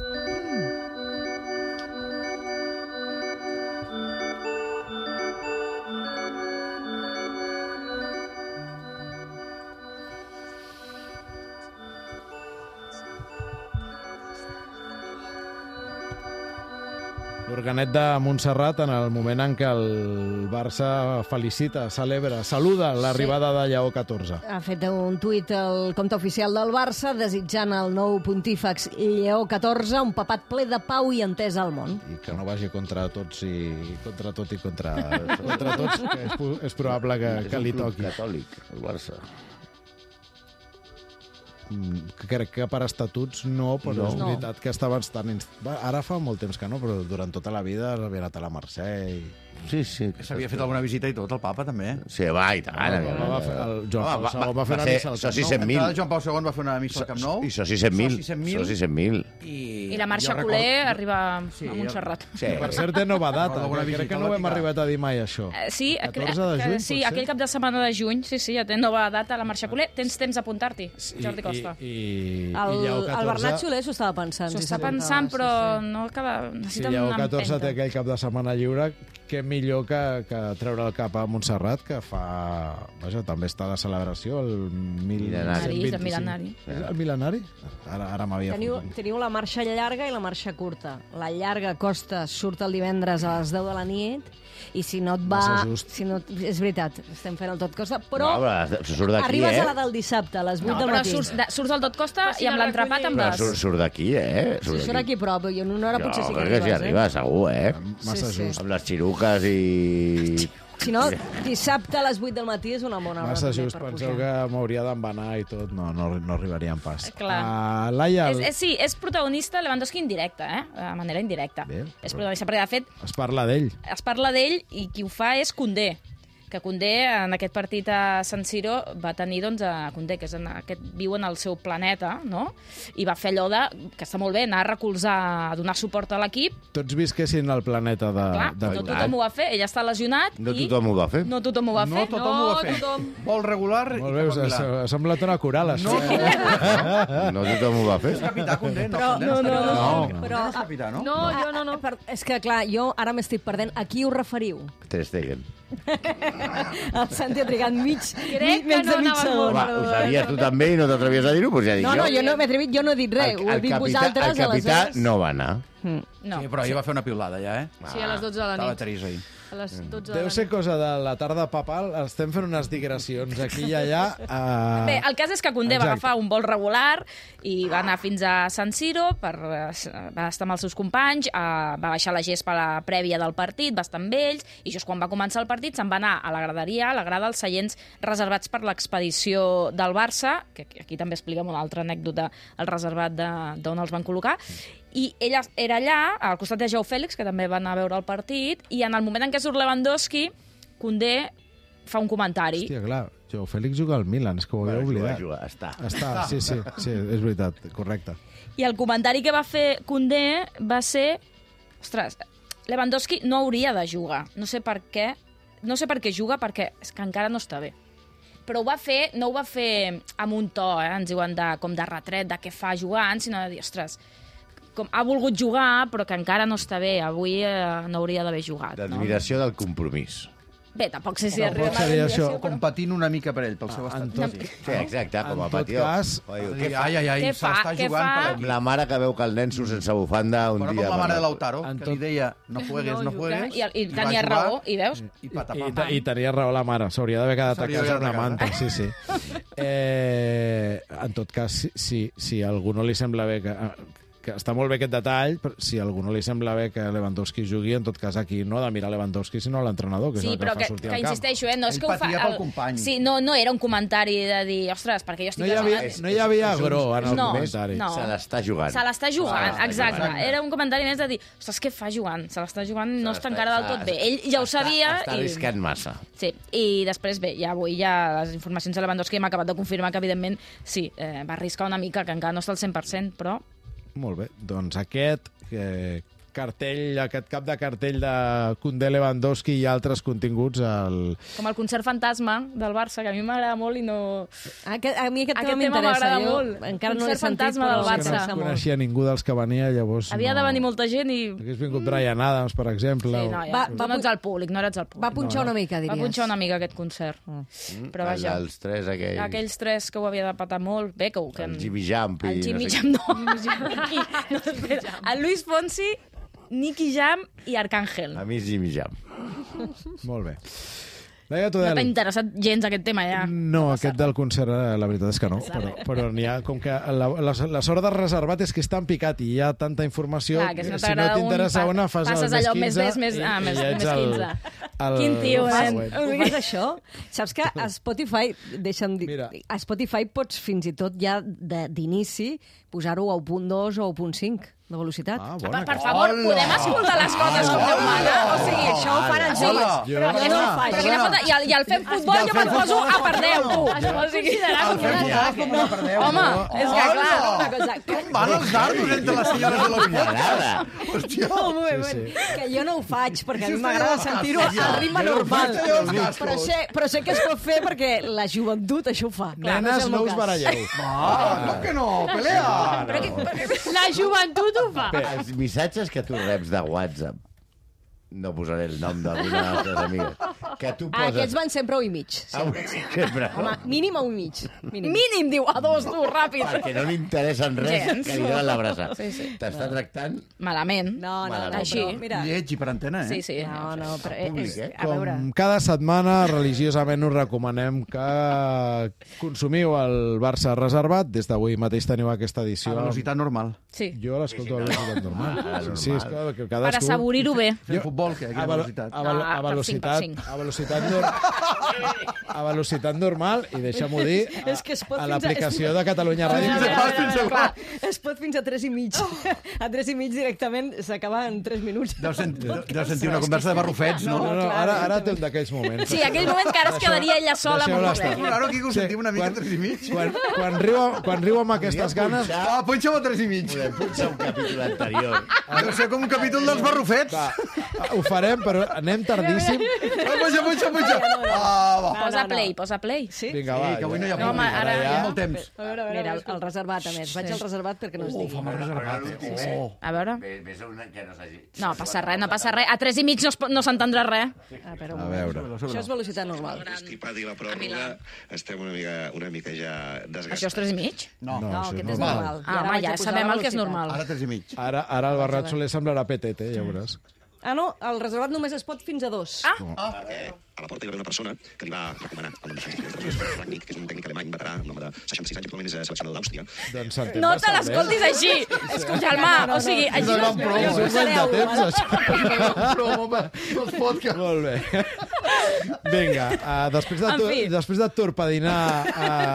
L'organet de Montserrat, en el moment en què el Barça felicita, celebra, saluda l'arribada de Lleó catorze. Ha fet un tuit al compte oficial del Barça desitjant al nou pontífex Lleó catorze un papat ple de pau i entesa al món. I que no vagi contra tots i contra tot i contra, contra tots, que és, és probable que, És que un li club toqui. catòlic, el Barça. Mm, Crec que per estatuts no, però No. és veritat que estava estant... inst- Va, ara fa molt temps que no, però durant tota la vida havia anat a la Mercè i... Sí, sí. Que s'havia fet alguna visita i tot, el papa també. Sí, va, i tant. El Papa va fer- el Joan Home, Paul segon va fer una ser missa al Camp soci Nou. cent mil. L'entrada de Joan Pau segon va fer una missa al Camp Nou. I soci cent mil. Soci cent mil. Soci cent mil. I, I la marxa jo culer recordo- arriba Sí, a Montserrat. Sí. Per cert, té nova data, Recordo alguna que crec visita que a no ho hem Vaticà. arribat a dir mai, això. Eh, Sí, catorze de juny, sí, pot ser? aquell cap de setmana de juny, sí, sí, ja té nova data la marxa culer. Tens temps d'apuntar-t'hi, Jordi Costa. I, i, El, i Lleó el catorze... Bernat Soler s'ho estava pensant. S'ho si està s'apuntava, pensant, sí, però sí. no acaba... Si Necessita Lleó una catorze té empenta. aquell cap de setmana lliure, què millor que, que treure el cap a Montserrat, que fa... Vaja, també està de celebració, el mil Mil·lenari. És el mil·lenari. És el mil·lenari? Ara, ara m'havia Teniu, fotut. teniu la marxa llarga i la marxa curta. La llarga costa surt el divendres a les deu de la nit i si no et va... Massa just. Si no, és veritat, estem fent el tot costa, però No, però surt d'aquí, arribes eh? a la del dissabte, a les vuit No, del però matí. surts, de, surts del tot costa Passi i amb la l'entrapat en recollir. Però vas. surt, surt d'aquí, eh? Si surt aquí a prop, i en una hora Jo potser sí que crec que arribes, s'hi arriba, segur, eh? Massa Sí, sí. just. Amb les xiruques i... Si no, dissabte a les vuit del matí és una bona hora. Massa també just, per penseu pujar. que m'hauria d'embanar i tot. No, no, no arribaríem pas. Clar. Uh, Laia, És, és, sí, és protagonista Lewandowski indirecte, eh? De manera indirecta. Bé, és però- protagonista, perquè de fet es parla d'ell. es parla d'ell i qui ho fa és Koundé, que Koundé en aquest partit a San Siro va tenir, doncs, a Koundé, que és en aquest, viu en el seu planeta, no? I va fer allò de, que està molt bé, anar a recolzar, a donar suport a l'equip. Tots visquessin al planeta de... Clar, de... no tothom ho va fer, ell està lesionat No i... tothom ho va fer. No tothom ho va No fer. tothom ho va no fer. tothom. Vol regular i Molt bé, cap a us ha, Milà. ha semblat una coral, això. No, eh? No tothom ho va fer. És capità Condé, no? Però- Condé no, és no, capità. no, Condé però- és capità, no? No, jo no, no. Per, és que, clar, jo ara m'estic perdent. A qui us referiu? Ter Stegen. El Santi ha trigat mig, Crec mig que no de mig anava segon. molt Home, ho sabies tu també i no t'atrevies a dir-ho? Doncs ja dic No, jo. no, jo no m'he atrevit, jo no he dit res. Ho heu dit capità, vosaltres, el capità aleshores. no va anar. No. Sí, però ahir va fer una piulada, ja, eh? Sí, a les dotze de la Estava nit. Teresa ahir. A les dotze de Deu la ser nit. cosa de la tarda papal. Estem fent unes digressions aquí i allà. Uh... Bé, el cas és que Koundé va Exacte. agafar un vol regular i va anar fins a San Siro, per, eh, va estar amb els seus companys, eh, va baixar la gespa a la prèvia del partit, va estar amb ells, i just quan va començar el partit se'n va anar a la graderia, a la grada dels seients reservats per l'expedició del Barça, que aquí també expliquem una altra anècdota, el reservat de- d'on els van col·locar, i ella era allà, al costat de Joao Fèlix, que també va anar a veure el partit, i en el moment en què surt Lewandowski, Koundé fa un comentari. Hòstia, clar, Joao Fèlix juga al Milan, és que ho havia Bueno, oblidat. juga, juga, està. Està, sí, sí, sí, és veritat, correcte. I el comentari que va fer Koundé va ser... Ostres, Lewandowski no hauria de jugar. No sé per què. No sé per què juga, perquè és que encara no està bé. Però ho va fer, no ho va fer amb un to, eh, ens diuen, de, com de retret, de què fa jugant, sinó de dir, ostres, com ha volgut jugar, però que encara no està bé. Avui eh, no hauria d'haver jugat. No? L'admiració del compromís. Bé, tampoc sé si Tampoc arriba a seria la això. O competint una mica per ell, pel seu estat. tot- Sí, exacte, com a En tot patió. cas, Oi, Ai, què fa? ai, ai, Què se fa? l'està Què jugant fa? per Com aquí. la mare que veu que el nen surt sense bufanda un Però dia... com la mare per de la- Lautaro, En que tot- li deia no juegues, no juegues. I, i va tenia jugar, raó, i veus? I I, patapam. I tenia raó la mare, s'hauria d'haver quedat a S'hauria casa d'haver amb una quedat a manta, sí, sí. Eh, en tot cas, si, si, si a algú no li sembla bé que, que està molt bé aquest detall, però si a algú no li sembla bé que Lewandowski jugui, en tot cas aquí no ha de mirar Lewandowski, sinó l'entrenador, que és Sí, el que però fa que, sortir que al camp. insisteixo, eh? No és Ell que ho fa... patia pel company. Sí, no, no era un comentari de dir, ostres, perquè jo estic... No hi havia, lesionat. no hi havia agro en el No, comentari. no. Se l'està jugant. Se l'està jugant, Se l'està exacte. jugant. Era un comentari més de dir, ostres, què fa jugant? Se l'està jugant, no Se està l'està- encara del tot bé. Ell ja ho està- sabia. Està i... arriscant massa. Sí, i després, bé, ja avui ja les informacions de Lewandowski hem acabat de confirmar que, evidentment, sí, eh, va arriscar una mica, que encara no està al cent per cent, però... Molt bé, doncs aquest eh, cartell, aquest cap de cartell de Koundé, Lewandowski i altres continguts al... Com el concert fantasma del Barça, que a mi m'agrada molt i no... Aquest, a mi aquest, Aquest tema tema m'interessa. m'agrada Jo molt. encara no l'he Concert sentit, fantasma però del Barça. que no m'interessa molt. coneixia ningú dels que venia, llavors... Havia no... de venir molta gent i... Hagués vingut Bryan Adams, per exemple. Sí, o- no, ja, Va- tu va no pu- ets al públic, no eres al públic. Va punxar una mica, diries. Va punxar una mica aquest concert. Però vaja, Els tres aquells... aquells tres que ho havia de patar molt, bé, que ho... Que... El Jimmy Jump i El Jimmy no sé Jam, no. Qui? No, espera. El Luis Fonsi, Nicky Jam i Arcángel. A mi és Jimmy Jump. Molt bé. Laia No t'ha Tudel. interessat gens aquest tema, ja. No, aquest del concert, eh, la veritat és que no. Però, però n'hi ha, com que la, la, la sort de reservat és que és tan picat i hi ha tanta informació, Clar, que si no si no t'agrada un, t'interessa pa- una, fas el passes més allò quinze més, més, més, ah, i, més- i ja ets més el, quinze. el, Quin tio, el nen. següent. Ho fas això? Saps que a Spotify, deixa'm dir, Mira. a Spotify pots fins i tot ja de- d'inici posar-ho a u punt dos o u punt cinc de velocitat. Ah, Per, bona. per favor, podem escoltar les coses com Déu mana? O sigui, Això ho fan els Sí, homes. Jo- però jo no ho faig. Quina falta. I al, i al fem futbol jo me'n poso a per deu, tu. O sigui, El fem futbol com una per deu. home, és que clar... Una cosa, que, Van els dardos entre les senyores de la M'agrada. Hòstia. un moment, sí. que jo no ho faig, perquè a Si mi us m'agrada talleu els sentir-ho cascos, al ritme ja. normal. Si us talleu els cascos. Però sé, però sé que es pot fer perquè la joventut això ho fa. Clar, Nenes, és el no meu us cas. baralleu. Ah, com que no? Pelea! Però que, La joventut ho fa. Els missatges que tu reps de WhatsApp, no posaré el nom d'alguna de les teves amigues, que tu Ah, poses... aquests van sempre a u i mig. Ah, sempre, no? Home, mínim a u i mig. Mínim. mínim, diu, a dos, tu, ràpid. Perquè no li interessen res Gens. que li donen l'abraça. Sí, sí. T'està tractant... Malament. No, no, no, Així. però, mira, Lleig i per antena, eh? Sí, sí. no, no, però Públic, és, eh? a veure... Com cada setmana, religiosament us recomanem que consumiu el Barça reservat. Des d'avui mateix teniu aquesta A edició. velocitat normal. Sí. Jo l'escolto a velocitat normal. Ah, Sí, és que, que Per cadascú... assavorir-ho bé. Fem futbol, que aquí a, a velo- velocitat. a, velo- Ah, a per velocitat, cinc, per cinc. a velocitat nor- a velocitat normal i deixa-m'ho dir a, És que es pot a fins a- l'aplicació de Catalunya Ràdio. A que veure, és- a veure, a veure, clar, es pot fins a tres i mig. A tres i mig directament s'acaba en tres minuts. Deu, sent, deu sentir una conversa de barrufets, no? No, no, ara, ara té un d'aquells moments. Sí, aquell moment que ara es quedaria ella sola amb un Deixeu-la estar. problema. Claro, aquí que ho sentim una mica Quan- tres i mig. Quan, quan, riu, quan riu amb aquestes ganes... Ah, punxa-ho a tres i mig. Podem punxar un capítol anterior. Deu ser com un capítol dels barrufets. Va, ho farem, però anem tardíssim. Ah, punxa, punxa, punxa. Ah, va. Posa play, posa play. Sí? Vinga, Sí, va. que avui no hi ha No, home, públic. ara Hi ha ja- molt temps. A veure, a veure, Mira, el, el reservat, a més. Vaig al reservat perquè no es digui. Fa mal reservat, eh? Oh. A veure... Ves a una que no s'hagi... No, passa res, no passa res. A tres i mig no, es pot- no s'entendrà res. A veure, A veure. això és velocitat normal. Estipat i la pròrroga, estem una mica, una mica ja desgastats. Això és tres i mig? No, No, No, això aquest és és normal. normal. I Ah, ara home, vaig a ja posar sabem la el que és velocitat. normal. ara tres i mig. Ara, ara el Barrat Soler semblarà P T T, ja veuràs. Ah, no, el reservat només es pot fins a dos. Ah, Eh, a la porta hi va haver una persona que li va recomanar el nom de Rangnick, que és un tècnic alemany veterà, un home de seixanta-sis anys, actualment és seleccionador d'Àustria. Doncs s'entén no te bastant bé. l'escoltis així. És com germà, o sigui, així no... És un guany de temps, això. Promo pels podcasts. Molt bé. Vinga, uh, després, de En tu, fi. després de torpedinar uh,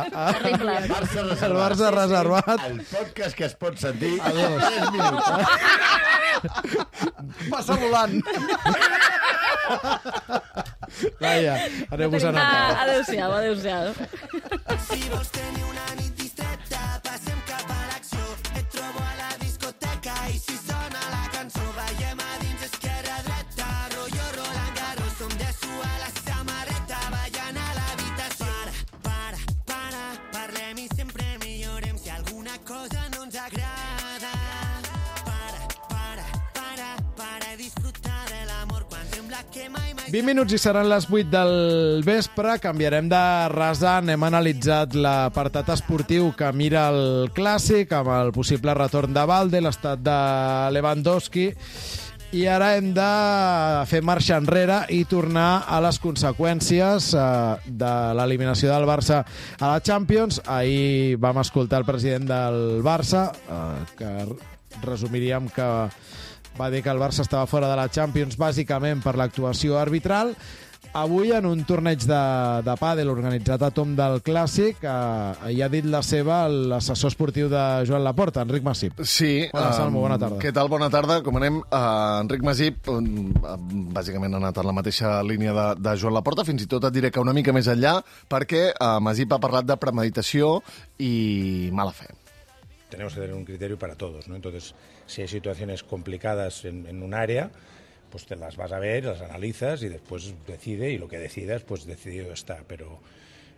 uh, Terrible. Barça el reservat. Barça reservat, El podcast que es pot sentir a dos. tres minuts. Passa volant. Laia, anem-vos a Ah, anar. adéu-siau, adéu-siau. Si vols tenir una nit distreta, passem cap a l'acció. Et trobo a la discoteca i si sona la cançó, veiem a dins esquerra-dreta, rotllo Roland Garros, som de suar la samarreta, ballant a l'habitació. Para, para, para, parlem i sempre millorem si alguna cosa no ens agrada. Para, para, para, para disfrutar de l'amor quan sembla que mai mai vint minuts i seran les vuit del vespre. Canviarem de rasant. Hem analitzat l'apartat esportiu que mira el Clàssic amb el possible retorn de Valde, l'estat de Lewandowski. I ara hem de fer marxa enrere i tornar a les conseqüències eh, de l'eliminació del Barça a la Champions. Ahir vam escoltar el president del Barça, eh, que resumiríem que va dir que el Barça estava fora de la Champions bàsicament per l'actuació arbitral. Avui, en un torneig de, de pàdel organitzat a tomb del Clàssic, eh, hi ha dit la seva l'assessor esportiu de Joan Laporta, Enric Masip. Sí. Hola, Salmo, bona tarda. Què tal? Bona tarda. Com anem, uh, Enric Masip, um, bàsicament ha anat en la mateixa línia de, de Joan Laporta, fins i tot et diré que una mica més enllà, perquè uh, Masip ha parlat de premeditació i mala fe. Tenemos que tener un criterio para todos, ¿no? Entonces, si hay situaciones complicadas en, en un área, pues te las vas a ver, las analizas y después decide, y lo que decidas, pues decidido está. Pero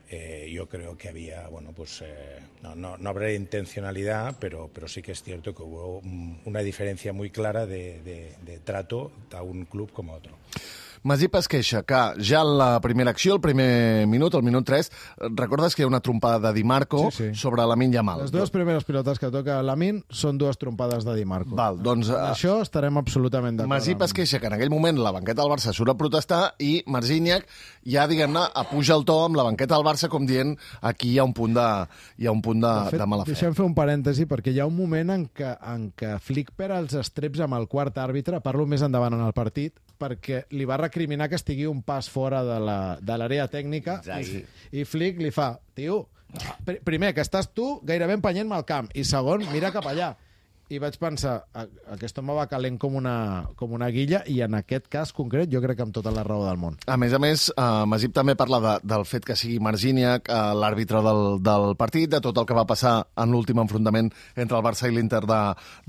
eh, yo creo que había, bueno, pues eh, no, no, no habrá intencionalidad, pero, pero sí que es cierto que hubo una diferencia muy clara de, de, de trato a un club como a otro. Masip es queixa que ja en la primera acció, el primer minut, el minut tres, recordes que hi ha una trompada de Di Marco sí, sí. sobre Lamine Yamal. Les dues primeres pilotes que toca Lamine són dues trompades de Di Marco. Val, doncs, en això estarem absolutament d'acord. Masip es queixa que en aquell moment la banqueta del Barça surt a protestar i Marciniak ja, diguem-ne, apuja el to amb la banqueta del Barça com dient aquí hi ha un punt de, hi ha un punt de, de, fet, de mala fe. Deixem fer un parèntesi, perquè hi ha un moment en què, en què Flick perd els estreps amb el quart àrbitre, parlo més endavant en el partit, perquè li va recriminar que estigui un pas fora de l'àrea tècnica i, i Flick li fa, tio, pr primer, que estàs tu gairebé empenyent-me al camp, i segon, mira cap allà. I vaig pensar, aquest home va calent com una, com una guilla, i en aquest cas concret jo crec que amb tota la raó del món. A més a més, uh, Masip també parla de, del fet que sigui Marciniak uh, l'àrbitre del, del partit, de tot el que va passar en l'últim enfrontament entre el Barça i l'Inter de,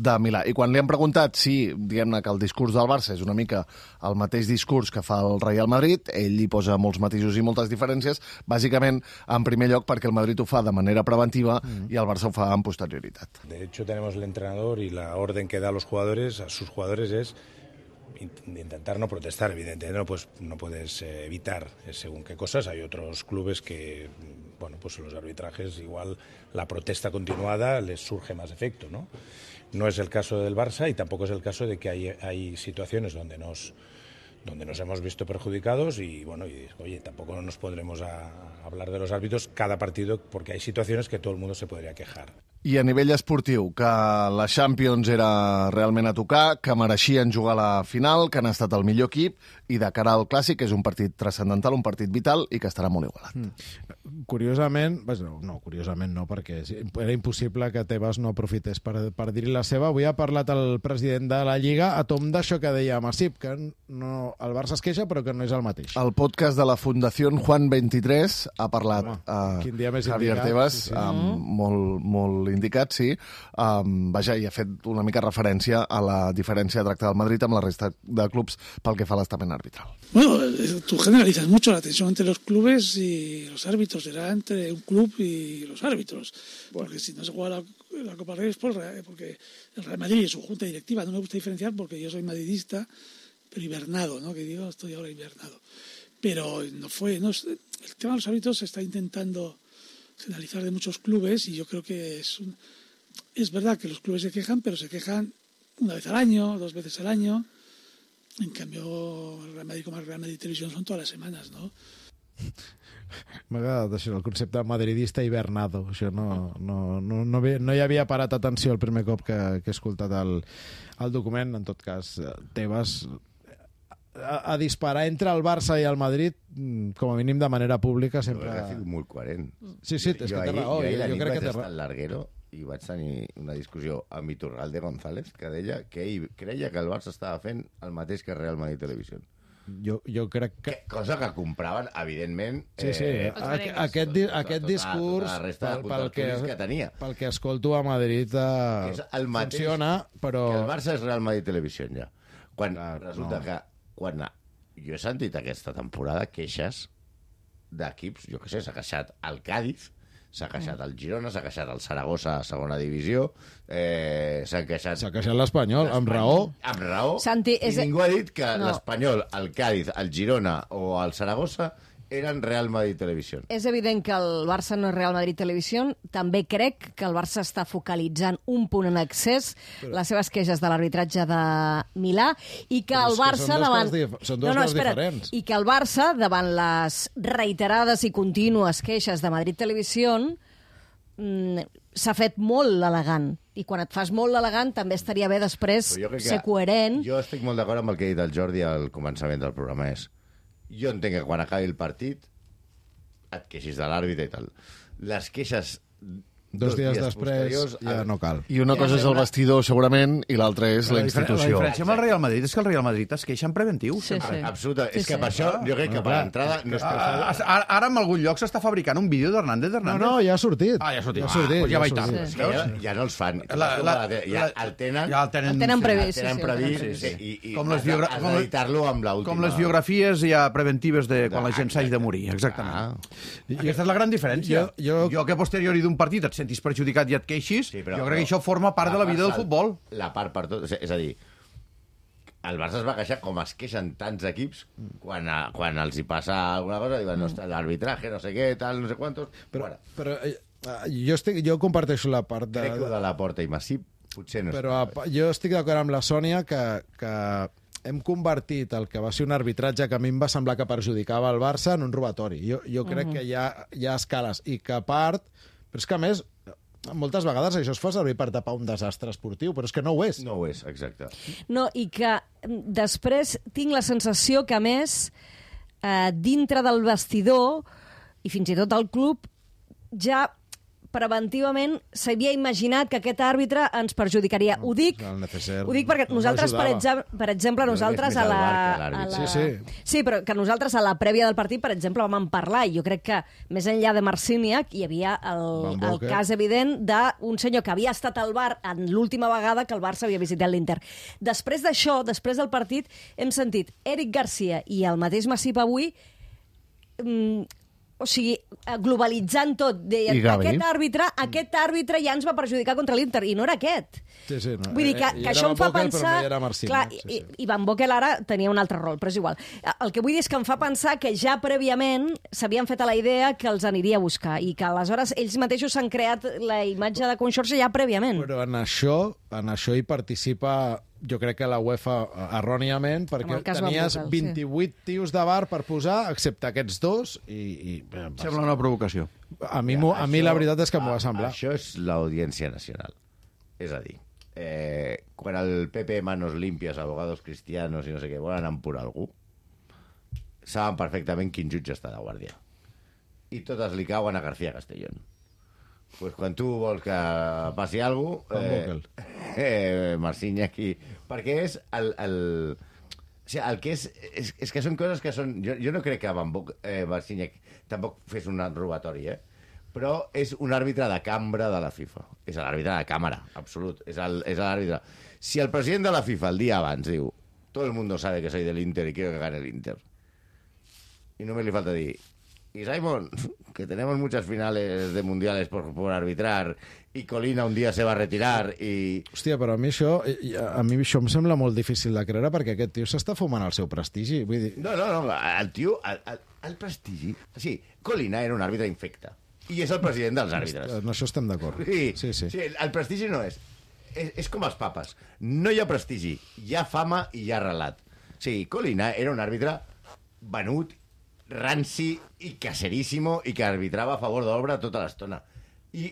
de Milà. I quan li han preguntat si, diguem-ne, que el discurs del Barça és una mica el mateix discurs que fa el Real Madrid, ell hi posa molts matisos i moltes diferències, bàsicament, en primer lloc, perquè el Madrid ho fa de manera preventiva mm. i el Barça ho fa amb posterioritat. De hecho, tenemos el entrenador y la orden que da a los jugadores, a sus jugadores, es intentar no protestar. Evidentemente no, pues, no puedes eh, evitar según qué cosas. Hay otros clubes que, bueno, pues los arbitrajes igual la protesta continuada les surge más efecto, ¿no? No es el caso del Barça y tampoco es el caso de que hay, hay situaciones donde nos donde nos hemos visto perjudicados y, bueno, y, oye, tampoco nos pondremos a hablar de los árbitros cada partido porque hay situaciones que todo el mundo se podría quejar. I a nivell esportiu, que la Champions era realment a tocar, que mereixien jugar a la final, que han estat el millor equip, i de cara al Clàssic, que és un partit transcendental, un partit vital, i que estarà molt igualat. Mm. Curiosament, no, no, curiosament no, perquè era impossible que Tebas no aprofités per, per dir-hi la seva. Avui ha parlat el president de la Lliga a tomb d'això que deia Masip, que no, el Barça es queixa, però que no és el mateix. El podcast de la Fundació Juan vint-i-tres ha parlat Home, uh, quin dia més Javier indicat, Tebas, sí, sí. Um, molt, molt indicat, sí. Um, vaja, i ha fet una mica referència a la diferència de tracte del Madrid amb la resta de clubs pel que fa a l'estament arbitral. Bueno, tú generalizas mucho la tensión entre los clubes y los árbitros. Será entre un club y los árbitros. Porque si no se juega la, la Copa del Rey es por, porque el Real Madrid y su junta directiva. No me gusta diferenciar porque yo soy madridista, pero hibernado, ¿no? Que digo, estoy ahora hibernado. Pero no fue... No, el tema de los árbitros se está intentando generalizar de muchos clubes y yo creo que es un... Es verdad que los clubes se quejan, pero se quejan una vez al año, dos veces al año. En cambio, el Real Madrid com el Real Madrid Televisión son todas les setmanes, no? M'ha agradat això, el concepte madridista hibernado. Això no, no, no, no, no hi havia parat atenció el primer cop que, que he escoltat el, el document. En tot cas, Tebas a, a disparar entre el Barça i el Madrid, com a mínim de manera pública, sempre... Ha sigut molt coherent. Sí, sí, és que té raó. Jo ahir jo, la jo nit crec vaig que té estar al Larguero i vaig tenir una discussió amb Iturralde González, que deia que ell creia que el Barça estava fent el mateix que Real Madrid Televisió. Jo, jo crec que... que... Cosa que compraven, evidentment... Sí, sí, eh, aquest, aquest, di aquest tota, discurs, tota pel, pel, que, que tenia. pel que escolto a Madrid, eh, el mateix, funciona, però... Que el Barça és Real Madrid Televisió, ja. Quan Clar, resulta no. que... Quan jo he sentit aquesta temporada queixes d'equips, jo què sé, s'ha queixat el Cádiz S'ha queixat el Girona, s'ha queixat el Saragossa a segona divisió, eh, s'ha queixat... S'ha queixat l'Espanyol, amb raó. Amb raó. Santi, I és... ningú ha dit que No. l'Espanyol, el Cádiz, el Girona o el Saragossa eren Real Madrid Televisió. És evident que el Barça no és Real Madrid Televisió. També crec que el Barça està focalitzant un punt en excés Però... les seves queixes de l'arbitratge de Milà i que Però el és que Barça són dues davant... coses dif- són dues coses diferents. I que el Barça, davant les reiterades i contínues queixes de Madrid Televisió, mm, s'ha fet molt elegant. I quan et fas molt elegant també estaria bé després Però jo crec que- ser coherent. Jo estic molt d'acord amb el que ha dit el Jordi al començament del programa. És, jo entenc que quan acabi el partit et queixis de l'àrbitre i tal. Les queixes Dos dies després posteriors, ja no cal. I una cosa és el vestidor, segurament, i l'altra és la La diferència institució. amb el Real Madrid és que el Real Madrid es queixa en preventiu. Sí, sí. Absoluta. Sí, És que sí. per això jo crec que per l'entrada no és per Ah, Ara, ara en algun lloc s'està fabricant un vídeo d'Hernández No, d'Hernández. no, ja ha sortit. Ah, ja ha sortit. Ja ha sortit, Ah, doncs ja va i ha tant. sortit. És que ja, ja no els fan. La- la- ja el tenen... Ja el tenen, El tenen previst, el sí, tenen sí, previst sí, sí. i, i Com les has, biogra- has com les- d'editar-lo amb l'última... Com les biografies ja preventives de quan la gent s'hagi de morir, exactament. Ah. I aquesta és la gran diferència. Jo- jo- jo que a posteriori d'un partit et sentis perjudicat i et queixis, Sí, però- jo crec que això forma part de la vida del part- futbol. La part per tot. És a dir, el Barça es va queixar com es queixen tants equips quan, a, quan els hi passa alguna cosa, diuen, no, l'arbitraje, no sé què, tal, no sé quantos... Però, Bueno, però eh, jo, estic, jo comparteixo la part de... crec que ho de la Porta i Massip potser no Però està... a, jo estic d'acord amb la Sònia que, que hem convertit el que va ser un arbitratge que a mi em va semblar que perjudicava el Barça en un robatori. Jo, jo crec Mhm. que hi ha, hi ha escales i que a part... Però és que a més, moltes vegades això es fa servir per tapar un desastre esportiu, però és que no ho és. No ho és, exacte. No, i que mm, després tinc la sensació que, a més, eh, dintre del vestidor, i fins i tot al club, ja preventivament s'havia imaginat que aquest àrbitre ens perjudicaria. Ho dic, El Neceser ho dic perquè no nosaltres, per, ajudava. exemple, per exemple, Jo crec que és nosaltres més a el la... V A R que a l'àrbitre. la... Sí, sí. Sí, però que nosaltres a la prèvia del partit, per exemple, vam en parlar, i jo crec que més enllà de Marcíniac hi havia el, Van el Boker. cas evident d'un senyor que havia estat al bar en l'última vegada que el Barça havia visitat l'Inter. Després d'això, després del partit, hem sentit Eric Garcia i el mateix Massip avui mm, o sigui, globalitzant tot, deien, I Gavi. aquest àrbitre, aquest àrbitre ja ens va perjudicar contra l'Inter, i no era aquest. Sí, sí, no. Vull dir que, Eh, hi que era això em fa Van Bokel, pensar... Però no hi era Marcíniac, Clar, sí, i, sí. i Van Bokel ara tenia un altre rol, però és igual. El que vull dir és que em fa pensar que ja prèviament s'havien fet a la idea que els aniria a buscar i que aleshores ells mateixos s'han creat la imatge de Conxorxa ja prèviament. Però en això, en això hi participa, jo crec que la UEFA erròniament, Amb perquè el cas Van tenies Bokel, sí. vint-i-vuit tios de bar per posar, excepte aquests dos, i... i eh, Sembla una provocació. a, mi, m'ho- a mi la veritat és que m'ho va a- semblar. Això és l'Audiència Nacional. És a dir, eh, quan el P P Manos Limpias, abogados cristianos i no sé què, volen empurar algú, saben perfectament quin jutge està de guàrdia. I totes li cauen a García Castellón. Pues quan tu vols que passi alguna cosa... Van Bokel. Eh, Marcíniac i... Perquè és el... el... O sigui, el que és, és... És que són coses que són... Jo, jo no crec que Van Bokel, eh, Marcíniac tampoc fes un robatori, eh? Però és un àrbitre de cambra de la FIFA. És l'àrbitre de càmera, absolut. És el- és l'àrbitre. Si el president de la FIFA el dia abans diu todo el mundo sabe que soy del Inter y quiero que gane el Inter, y només li falta dir y Simon, que tenemos muchas finales de mundiales por, por arbitrar y Colina un día se va a retirar y... Hòstia, però a mi això, i- a mi això em sembla molt difícil de creure perquè aquest tio s'està fumant el seu prestigi. Vull dir, No, no, no, el tio, el, el, el prestigi... Sí, Colina era un àrbitre infecte i és el president dels àrbitres. en això estem d'acord. Sí, sí, sí. sí, el prestigi no és. És, és com els papes. No hi ha prestigi, hi ha fama i hi ha relat. Sí, Colina era un àrbitre venut, ranci i caseríssimo i que arbitrava a favor d'obra tota l'estona. I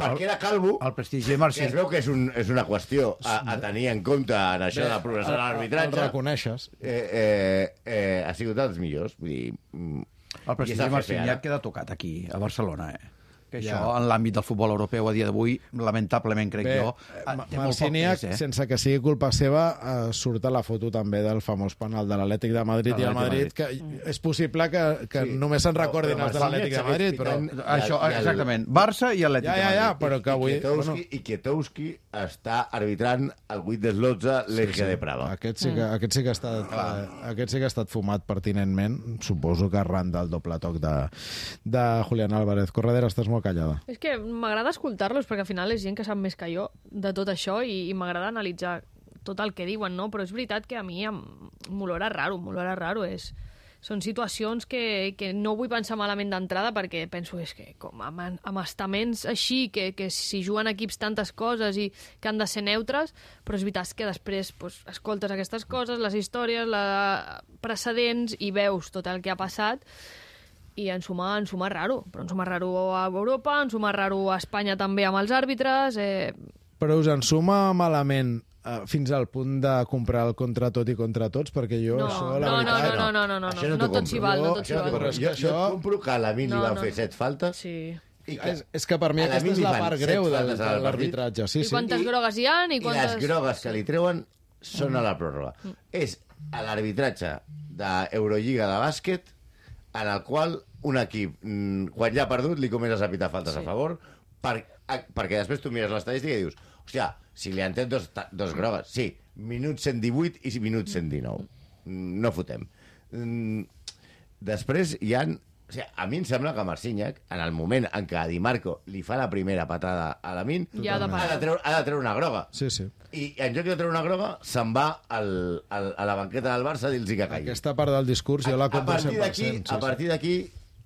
perquè era calvo, El prestigi de que Marcí. es veu que és, un, és una qüestió a, a tenir en compte en això de la progressió de El l'arbitratge, reconeixes. eh, eh, eh, ha sigut dels millors. Vull dir, mm, El i prestigi és el de jefe Marciniak ara. queda tocat aquí, a Barcelona, eh? Que Ja. això, en l'àmbit del futbol europeu a dia d'avui, lamentablement, crec Bé, jo, eh, eh, Ma- té molt poc Marciniak, pes, eh? sense que sigui culpa seva, eh, surt a la foto també del famós penal de l'Atlètic de Madrid De i el l'Atlètic Madrid, que és possible que, que Sí. només se'n recordin Però- els de però l'Atlètic de Marciniak Madrid, però... segueix Això, I el- exactament. Barça i Atlètic Ja, de ja, ja, Madrid. però que avui... I Kietowski, Bueno, i Kietowski està arbitrant el vuit del dotze l'Eje de Prava. aquest sí que, aquest sí que ha estat, eh, aquest sí que ha estat fumat pertinentment, suposo que arran del doble toc de, de Julián Álvarez. Corredera, estàs molt molt callada. És que m'agrada escoltar-los, perquè al final és gent que sap més que jo de tot això i, i m'agrada analitzar tot el que diuen, no? Però és veritat que a mi m'olora raro, m'olora raro. És... Són situacions que, que no vull pensar malament d'entrada perquè penso és que com amb, amb estaments així, que, que si juguen equips tantes coses i que han de ser neutres, però és veritat que després pues, escoltes aquestes coses, les històries, la precedents i veus tot el que ha passat i en suma, en suma raro. Però en suma raro a Europa, en suma raro a Espanya també amb els àrbitres... Eh... Però us en suma malament Uh, fins al punt de comprar el contra tot i contra tots, perquè jo no, això, la no, veritat... No, no, no, no, no, no, no tot s'hi val, no tot s'hi val. Jo, jo et compro que a l'Amin li van fer set faltes. Sí. I que, és, és que per mi aquesta és la part greu del, de l'arbitratge. Sí, I quantes sí. grogues hi ha i quantes... I les grogues que li treuen són a la pròrroga. Mm. És a l'arbitratge d'Eurolliga de bàsquet en el qual un equip, quan ja ha perdut, li comences a pitar faltes sí. a favor, per, a, perquè després tu mires l'estadística i dius, hòstia, si li han tret dos, dos grogues, sí, minut cent divuit i minut cent dinou. No fotem. Després hi han... O sigui, a mi em sembla que Marciniak, en el moment en què a Di Marco li fa la primera patada a Lamin, ja ha, de ha, de treure, ha de treure una groga. Sí, sí. I en lloc de treure una groga, se'n va al, al, a la banqueta del Barça a dir-los que caigui. Aquesta part del discurs jo la compro cent per cent. Sí, a partir d'aquí...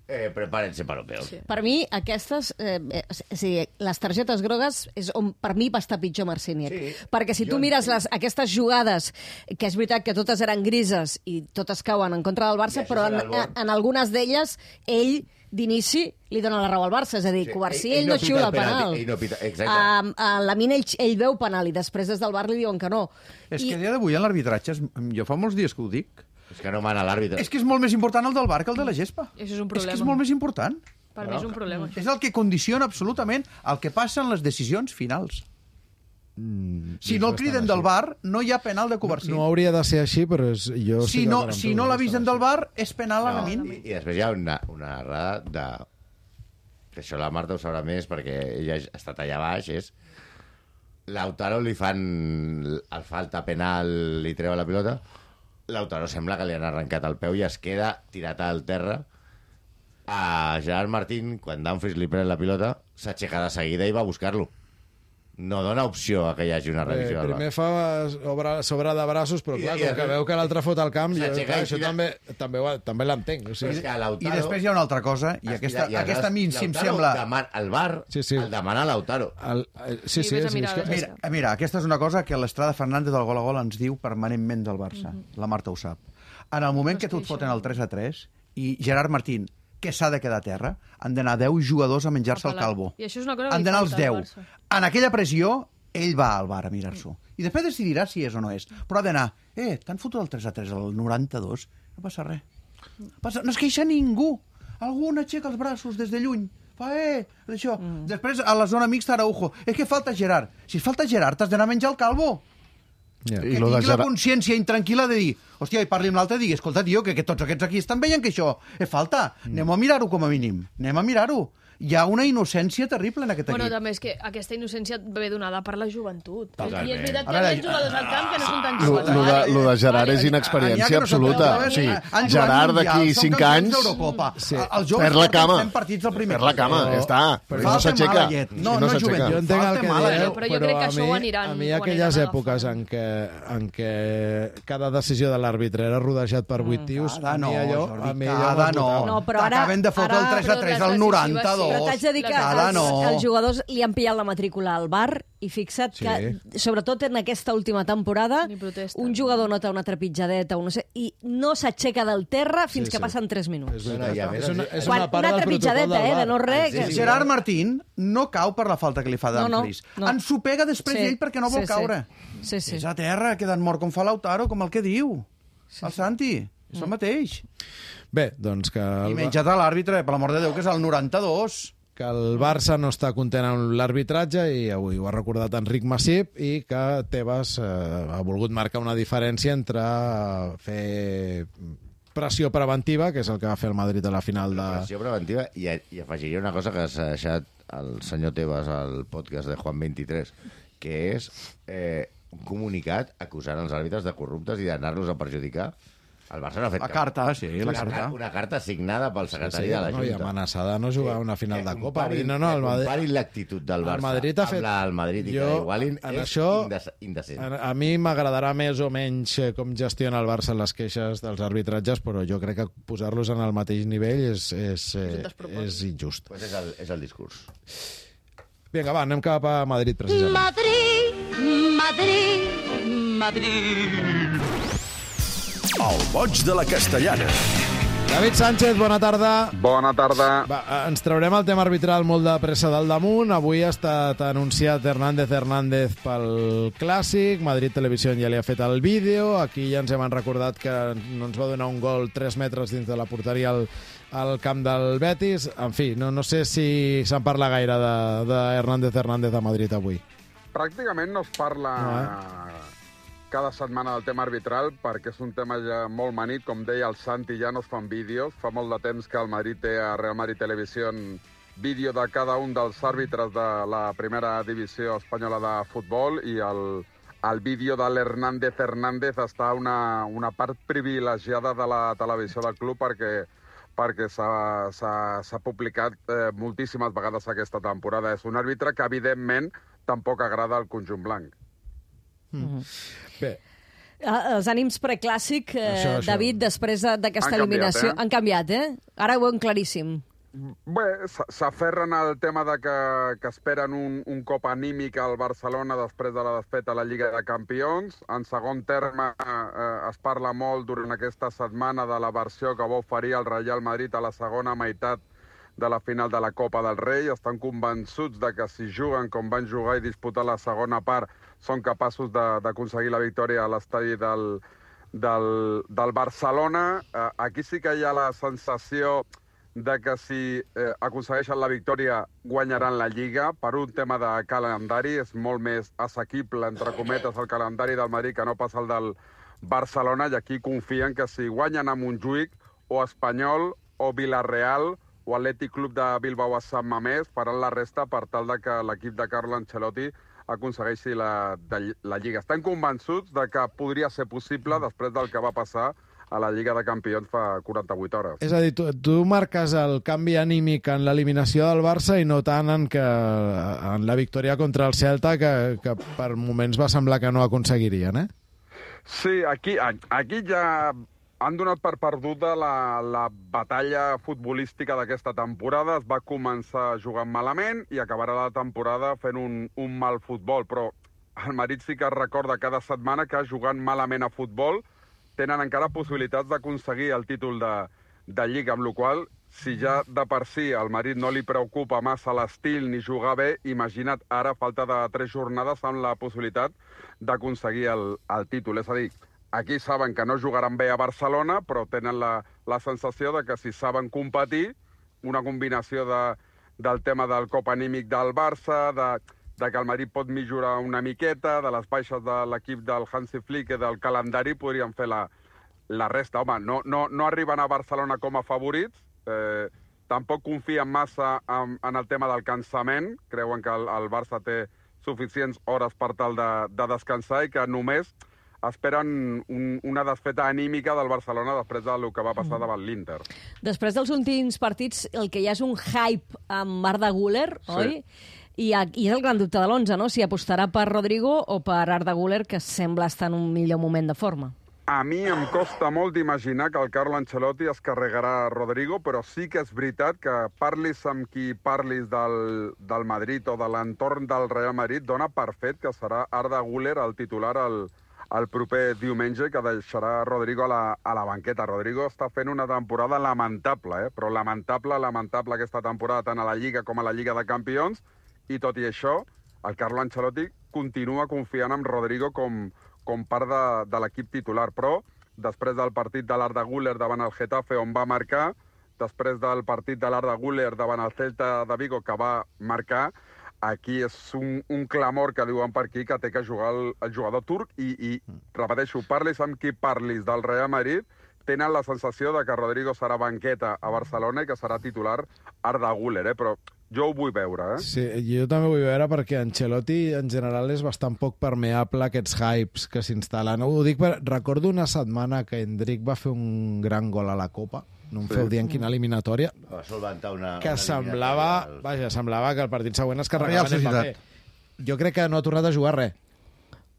Eh, prepárense para lo peor. Sí. Per mi, aquestes... Eh, eh, o sigui, les targetes grogues és on per mi va estar pitjor Marciniak. Sí. Perquè si tu mires les, aquestes jugades, que és veritat que totes eren grises i totes cauen en contra del Barça, però en, en, en algunes d'elles ell d'inici li dona la raó al Barça, és a dir, sí, Covarsí ell, ell no, no xiula el penal. Ell no pita, uh, uh, Lamin ell, ell veu penal i després des del bar li diuen que no. És I... que a dia d'avui en l'arbitratge, jo fa molts dies que ho dic, és que no mana l'àrbitre. És que és molt més important el del bar que el de la gespa. Això és un problema. És que és molt més important. Per mi és un problema. És el que condiciona absolutament el que passa en les decisions finals. Mm, si no el criden del bar, no hi ha penal de Covarsí. No, no hauria de ser així, però és, jo... Si no, si no l'avisen del bar, és penal a la min. I, I després hi ha una, una errada de... Que això la Marta ho sabrà més, perquè ella ha estat allà baix, és... Lautaro li fan el falta penal, li treu la pilota... Lautaro sembla que li han arrencat el peu i es queda tirat al terra. A Gerard Martín, quan Dumfries li pren la pilota, s'aixeca de seguida i va a buscar-lo. No dona opció a que hi hagi una revisió. Eh, primer fa sobre, sobre de braços, però clar, com que veu que l'altre fot al camp, jo, clar, això també, també, també l'entenc. O sigui. I després hi ha una altra cosa, i aquesta, i aquesta a mi si em sembla... Demana, el bar sí, sí. el demana Lautaro. El, sí, sí, sí, mirar, sí, mira, mira, aquesta és una cosa que l'Estrada Fernández del Gol a Gol ens diu permanentment del Barça. Uh -huh. La Marta ho sap. En el moment no que tu et foten el tres a tres i Gerard Martín, que s'ha de quedar a terra, han d'anar deu jugadors a menjar-se el calvo. I això és una cosa han d'anar els deu. En aquella pressió, ell va al bar a mirar-s'ho. I després decidirà si és o no és. Però ha d'anar, eh, t'han fotut el tres a tres al noranta-dos? No passa res. Passa... No es queixa ningú. Algú n'aixeca els braços des de lluny. Fa, eh, això. Mm. Després, a la zona mixta, Araujo. És que falta Gerard. Si falta Gerard, t'has d'anar a menjar el calvo. Yeah. Que tingui Gerard... la consciència intranquil·la de dir, hòstia, i parli amb l'altre i digui, escolta, tio, que, que tots aquests aquí estan veient que això és falta. Mm. Anem a mirar-ho com a mínim. Anem a mirar-ho. Hi ha una innocència terrible en aquest equip. Bueno, també és que aquesta innocència ve donada per la joventut. Totalment. I és veritat que hi ha més jugadors al camp que no són tan Lo, joves. lo, de, lo de Gerard és inexperiència absoluta. Sí. Gerard d'aquí cinc anys sí. perd la cama. Partits al primer perd la cama, ja està. Però no s'aixeca. No, no joventut. Jo entenc el que dieu, però jo crec que això ho aniran... A mi aquelles èpoques en què, en què cada decisió de l'àrbitre era rodejat per vuit tios, a mi allò... Cada no. T'acaben de fotre el tres a tres al noranta-dos. Però t'haig de dir que els, no. els jugadors li han pillat la matrícula al bar i fixa't sí. que, sobretot en aquesta última temporada, un jugador nota una trepitjadeta un no sé, i no s'aixeca del terra fins sí, sí. que passen tres minuts. És, una, és, una, és una, part una trepitjadeta, eh, de no res. Sí, sí. Gerard Martín no cau per la falta que li fa Dumfries. No, no, no. Ens ho pega després sí. ell perquè no vol sí, caure. Sí. Sí, sí. És a terra, quedant mort com fa Lautaro, com el que diu. Sí. El Santi, és el mateix. Bé, doncs que... I menjat a l'àrbitre, per l'amor de Déu, que és el noranta-dos. Que el Barça no està content amb l'arbitratge i avui ho ha recordat Enric Massip i que Tebas eh, ha volgut marcar una diferència entre fer pressió preventiva, que és el que va fer el Madrid a la final de... Pressió preventiva i, i afegiria una cosa que s'ha deixat el senyor Tebas al podcast de Juan vint-i-tres, que és eh, un comunicat acusant els àrbitres de corruptes i d'anar-los a perjudicar. El Barça no ha fet La carta, sí, la una, carta. Una carta signada pel secretari sí, sí, de la no, Junta. I amenaçada de no jugar una final de Copa. Comparin, No, no, el Madrid... comparin l'actitud del Barça el Madrid ha fet... amb la del Madrid i jo, que igualin en és això, indecent. A, a mi m'agradarà més o menys com gestiona el Barça les queixes dels arbitratges, però jo crec que posar-los en el mateix nivell és, és, és, és injust. Pues és, el, és el discurs. Vinga, va, anem cap a Madrid, precisament. Madrid, Madrid, Madrid. El boig de la Castellana. David Sánchez, bona tarda. Bona tarda. Va, ens traurem el tema arbitral molt de pressa del damunt. Avui ha estat anunciat Hernández Hernández pel Clàssic. Madrid Televisió ja li ha fet el vídeo. Aquí ja ens hem recordat que no ens va donar un gol tres metres dins de la porteria al, al camp del Betis. En fi, no, no sé si se'n parla gaire de, de Hernández Hernández a Madrid avui. Pràcticament no es parla... No, eh? cada setmana del tema arbitral, perquè és un tema ja molt manit, com deia el Santi, ja no es fan vídeos. Fa molt de temps que el Madrid té a Real Madrid Televisió vídeo de cada un dels àrbitres de la primera divisió espanyola de futbol, i el, el vídeo de l'Hernández Hernández està una, una part privilegiada de la televisió del club, perquè perquè s'ha publicat eh, moltíssimes vegades aquesta temporada. És un àrbitre que, evidentment, tampoc agrada al conjunt blanc. Mm. Bé. Els ànims preclàssic, eh, Això, això. David, després d'aquesta Han eliminació, canviat, eh? han canviat, eh? Ara ho veuen claríssim. Bé, s'aferren al tema de que, que esperen un, un cop anímic al Barcelona després de la desfeta a la Lliga de Campions. En segon terme, eh, es parla molt durant aquesta setmana de la versió que va oferir el Real Madrid a la segona meitat de la final de la Copa del Rei. Estan convençuts de que si juguen com van jugar i disputar la segona part, són capaços d'aconseguir la victòria a l'estadi del, del, del Barcelona. Eh, aquí sí que hi ha la sensació de que si eh, aconsegueixen la victòria guanyaran la Lliga. Per un tema de calendari és molt més assequible, entre cometes, el calendari del Madrid que no passa el del Barcelona, i aquí confien que si guanyen a Montjuïc o Espanyol o Villarreal o Atlètic Club de Bilbao a Sant Mamés, faran la resta per tal de que l'equip de Carlo Ancelotti aconsegueixi la, de, la Lliga. Estan convençuts de que podria ser possible després del que va passar a la Lliga de Campions fa quaranta-vuit hores. És a dir, tu, tu marques el canvi anímic en l'eliminació del Barça i no tant en, que, en la victòria contra el Celta, que, que per moments va semblar que no aconseguirien, eh? Sí, aquí, aquí ja han donat per perduda la, la batalla futbolística d'aquesta temporada. Es va començar jugant malament i acabarà la temporada fent un, un mal futbol, però el Madrid sí que es recorda cada setmana que jugant malament a futbol tenen encara possibilitats d'aconseguir el títol de, de Lliga, amb la qual cosa, si ja de per si al Madrid no li preocupa massa l'estil ni jugar bé, imagina't ara, a falta de tres jornades, amb la possibilitat d'aconseguir el, el títol. És a dir, aquí saben que no jugaran bé a Barcelona, però tenen la, la sensació de que si saben competir, una combinació de, del tema del cop anímic del Barça, de, de que el Madrid pot millorar una miqueta, de les baixes de l'equip del Hansi Flick i del calendari, podrien fer la, la resta. Home, no, no, no arriben a Barcelona com a favorits, eh, tampoc confien massa en, en el tema del cansament, creuen que el, el Barça té suficients hores per tal de, de descansar i que només esperen un, una desfeta anímica del Barcelona després del que va passar davant l'Inter. Després dels últims partits, el que hi ha és un hype amb Arda Güler, Sí. oi? I, I és el gran dubte de l'onze, no? Si apostarà per Rodrigo o per Arda Güler, que sembla estar en un millor moment de forma. A mi em costa molt d'imaginar que el Carlo Ancelotti es carregarà Rodrigo, però sí que és veritat que parlis amb qui parlis del, del Madrid o de l'entorn del Real Madrid, dona per fet que serà Arda Güler el titular el, el proper diumenge, que deixarà Rodrigo a la, a la banqueta. Rodrigo està fent una temporada lamentable, eh? però lamentable, lamentable aquesta temporada, tant a la Lliga com a la Lliga de Campions, i tot i això, el Carlo Ancelotti continua confiant en Rodrigo com, com part de, de l'equip titular, però després del partit de l'Arda Güler davant el Getafe, on va marcar, després del partit de l'Arda Güler davant el Celta de Vigo, que va marcar, aquí és un, un clamor que diuen per aquí que té que jugar el, el jugador turc i, i repeteixo, parlis amb qui parlis del Real Madrid, tenen la sensació de que Rodrigo serà banqueta a Barcelona i que serà titular Arda Güler, eh? però Jo ho vull veure, eh? Sí, jo també ho vull veure perquè Ancelotti en general és bastant poc permeable a aquests hypes que s'instal·len. Ho dic, per... recordo una setmana que Endrick va fer un gran gol a la Copa, no em Sí. feu dir en quina eliminatòria, Va solventar una... que una semblava, eliminatòria. vaja, semblava que el partit següent es Real carregaven Societat. Mbappé. Jo crec que no ha tornat a jugar res.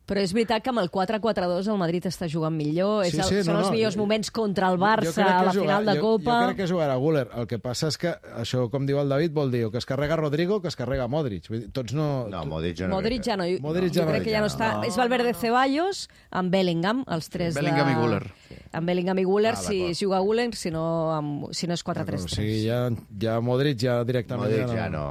Però és veritat que amb el quatre quatre dos el Madrid està jugant millor. Sí, és el, sí, són no, els no, millors jo- moments contra el Jo Barça crec a que la jugar- final de jo, Copa. Jo crec que jugarà Güler. El que passa és que, això, com diu el David, vol dir o que es carrega Rodrigo o que es carrega Modric. Vull dir, tots no... No, Modric ja no. Modric ja no. Modric jo ja no. crec que ja no està. No. És Valverde Ceballos amb Bellingham, els tres Bellingham de... i Güler. Amb Bellingham i Güler, Ah, si d'acord. juga Güler, si no, amb... si no és quatre tres O tres. sigui, ja, ja Modric ja directament... Modric ja no...